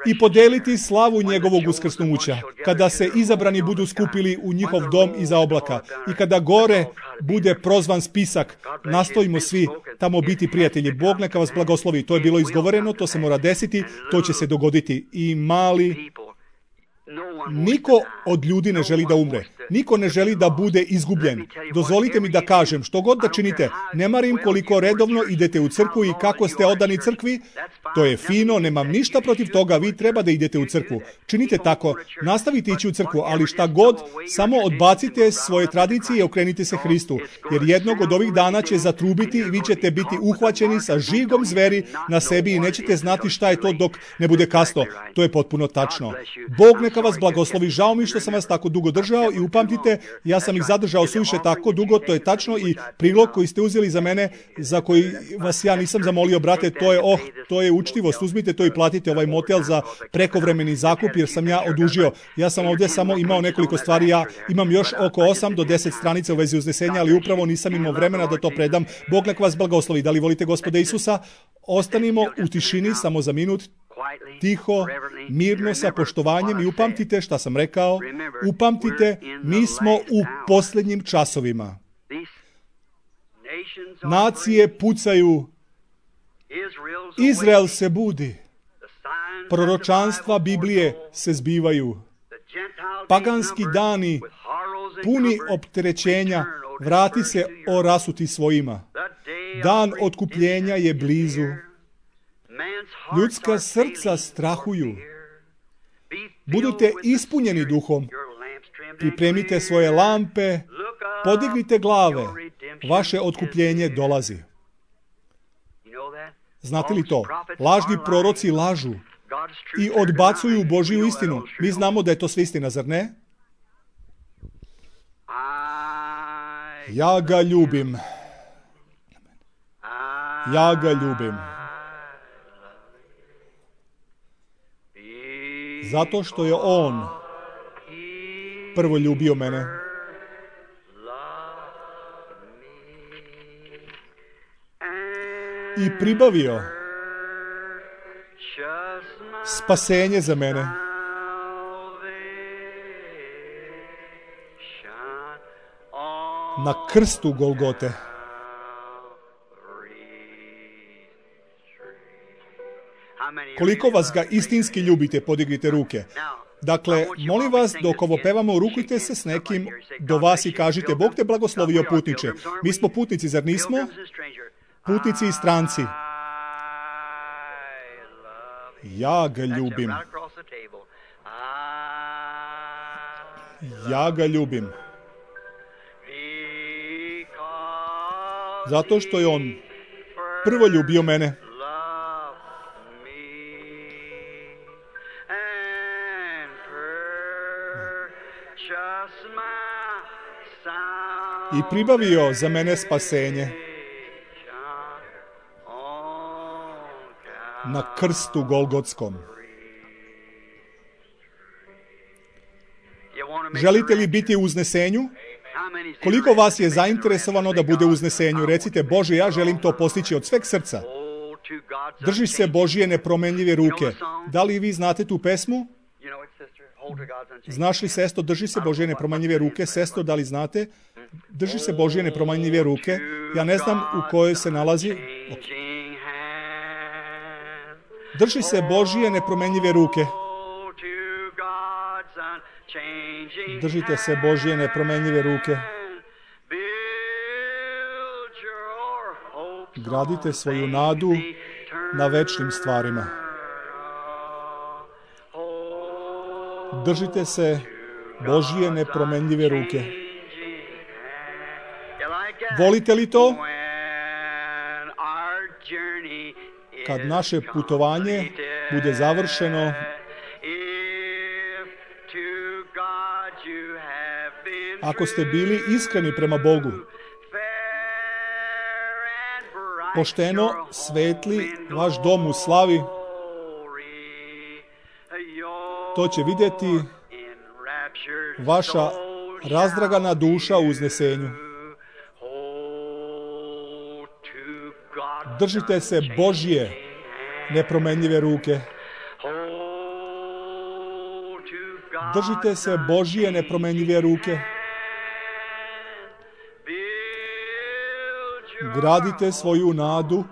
i podeliti slavu njegovog uskrsnuća. Kada se izabrani budu skupili u njihov dom iza oblaka i kada gore bude prozvan spisak, nastojimo svi tamo biti prijatelji. Bog neka vas blagoslovi. To je bilo izgovoreno, to se mora desiti, to će se dogoditi. I mali... Niko od ljudi ne želi da umre. Niko ne želi da bude izgubljen. Dozvolite mi da kažem, što god da činite, ne marim koliko redovno idete u crkvu i kako ste odani crkvi, to je fino, nemam ništa protiv toga, vi treba da idete u crkvu. Činite tako, nastavite ići u crkvu, ali šta god, samo odbacite svoje tradicije i okrenite se Hristu, jer jednog od ovih dana će zatrubiti i vi ćete biti uhvaćeni sa žigom zveri na sebi i nećete znati šta je to dok ne bude kasno. To je potpuno tačno. Bog neka vas blagoslovi. Žao mi što sam vas tako dugo držao i upamtite, ja sam ih zadržao suviše tako dugo, to je tačno i prilog koji ste uzeli za mene, za koji vas ja nisam zamolio, brate, to je učtivost. Uzmite to i platite ovaj motel za prekovremeni zakup jer sam ja odužio. Ja sam ovdje samo imao nekoliko stvari, ja imam još oko 8 do 10 stranica u vezi uznesenja, ali upravo nisam imao vremena da to predam. Bog nek vas blagoslovi. Da li volite Gospoda Isusa? Ostanimo u tišini samo za minut, tiho, mirno, sa poštovanjem i upamtite šta sam rekao. Upamtite, mi smo u posljednjim časovima. Nacije pucaju, Izrael se budi, proročanstva Biblije se zbivaju, paganski dani puni opterećenja, vrati se o rasuti svojima. Dan otkupljenja je blizu. Ljudska srca strahuju. Budite ispunjeni duhom. Pripremite svoje lampe, podignite glave. Vaše otkupljenje dolazi. Znate li to? Lažni proroci lažu i odbacuju Božju istinu. Mi znamo da je to sve istina, zar ne? Ja ga ljubim. Ja ga ljubim. Zato što je on prvo ljubio mene. I pribavio spasenje za mene. Na krstu Golgote. Koliko vas ga istinski ljubite, podignite ruke. Dakle, molim vas, dok ovo pevamo, rukujte se s nekim do vas i kažite, Bog te blagoslovio putniče. Mi smo putnici, zar nismo? Putnici i stranci. Ja ga ljubim. Ja ga ljubim. Zato što je on prvo ljubio mene. I pribavio za mene spasenje na krstu Golgotskom. Želite li biti u uznesenju? Koliko vas je zainteresovano da bude u uznesenju? Recite, Bože, ja želim to postići od sveg srca. Drži se Božje nepromenljive ruke. Da li vi znate tu pesmu? Znaš li, sestro, drži se Božje nepromenljive ruke? Sestro, da li znate? Drži se Božje nepromenljive ruke. Ja ne znam u kojoj se nalazi. Drži se Božje nepromenljive ruke. Držite se Božje nepromenljive ruke. Gradite svoju nadu na večnim stvarima. Držite se Božje nepromenljive ruke. Volite li to? Kad naše putovanje bude završeno, ako ste bili iskreni prema Bogu, pošteno svetli vaš dom u slavi, to će vidjeti vaša razdragana duša u uznesenju. Držite se Božje nepromenljive ruke. Držite se Božje nepromenljive ruke. Gradite svoju nadu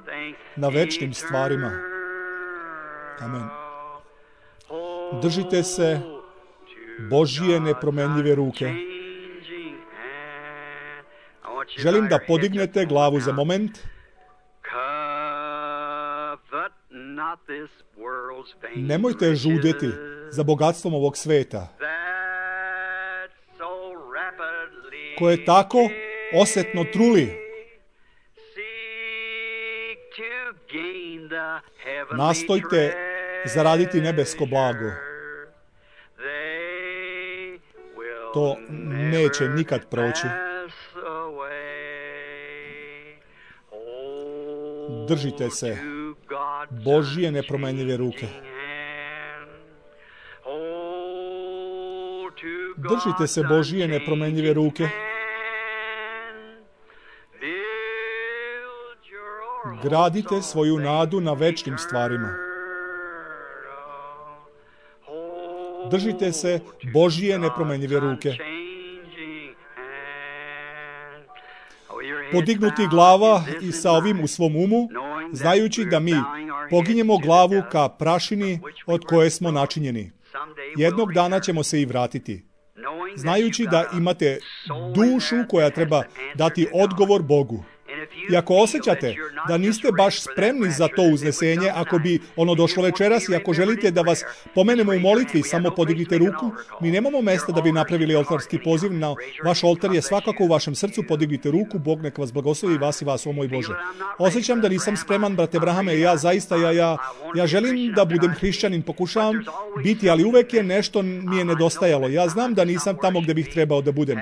na večnim stvarima. Amen. Držite se Božje nepromenljive ruke. Želim da podignete glavu za moment. Nemojte žudeti za bogatstvom ovog sveta, koje tako osetno truli. Nastojte zaraditi nebesko blago. To neće nikad proći. Držite se Božje nepromenljive ruke. Držite se Božje nepromenljive ruke. Gradite svoju nadu na večnim stvarima. Držite se Božje nepromenljive ruke. Podignuti glava i sa ovim u svom umu, znajući da mi poginjemo glavu ka prašini od koje smo načinjeni. Jednog dana ćemo se i vratiti. Znajući da imate dušu koja treba dati odgovor Bogu. I ako osjećate da niste baš spremni za to uznesenje, ako bi ono došlo večeras i ako želite da vas pomenemo u molitvi, samo podignite ruku. Mi nemamo mesta da bi napravili oltarski poziv. Na vaš oltar je svakako u vašem srcu. Podignite ruku, Bog nek vas blagoslovi, vas i vas, o moj Bože. Osjećam da nisam spreman, brate Brahame, ja želim da budem hrišćanin, pokušavam biti, ali uvek je nešto mi je nedostajalo. Ja znam da nisam tamo gde bih trebao da budem.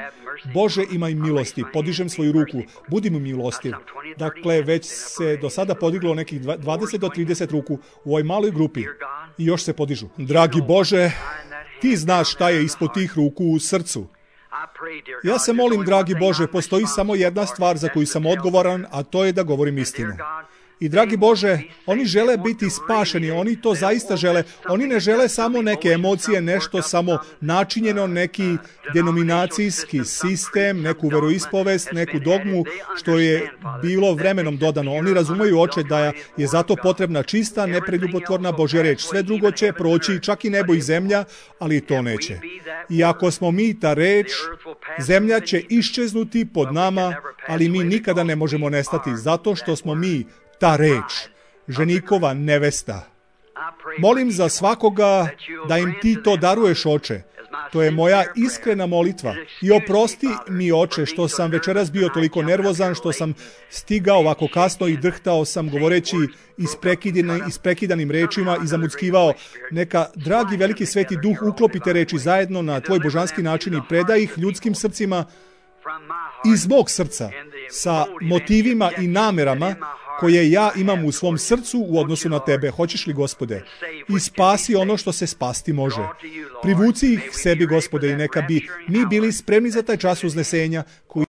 Bože, imaj milosti, podižem svoju ruku, budi mi milostiv. Dakle, već se do sada podiglo nekih 20 do 30 ruku u ovoj maloj grupi i još se podižu. Dragi Bože, ti znaš šta je ispod tih ruku u srcu. Ja se molim, dragi Bože, postoji samo jedna stvar za koju sam odgovoran, a to je da govorim istinu. I dragi Bože, oni žele biti spašeni, oni to zaista žele. Oni ne žele samo neke emocije, nešto samo načinjeno, neki denominacijski sistem, neku veroispovest, neku dogmu, što je bilo vremenom dodano. Oni razumeju, Oče, da je zato potrebna čista, nepreljubotvorna Božja reč. Sve drugo će proći, čak i nebo i zemlja, ali to neće. I ako smo mi ta reč, zemlja će iščeznuti pod nama, ali mi nikada ne možemo nestati, zato što smo mi ta reč, ženikova nevesta. Molim za svakoga da im ti to daruješ, Oče. To je moja iskrena molitva. I oprosti mi, Oče, što sam večeras bio toliko nervozan, što sam stigao ovako kasno i drhtao sam govoreći isprekidanim rečima i zamuckivao. Neka, dragi veliki sveti duh, uklopite reči zajedno na tvoj božanski način i predaj ih ljudskim srcima iz mog srca, sa motivima i namerama koje ja imam u svom srcu u odnosu na tebe. Hoćeš li, Gospode? I spasi ono što se spasti može. Privuci ih sebi, Gospode, i neka bi mi bili spremni za taj čas uznesenja koji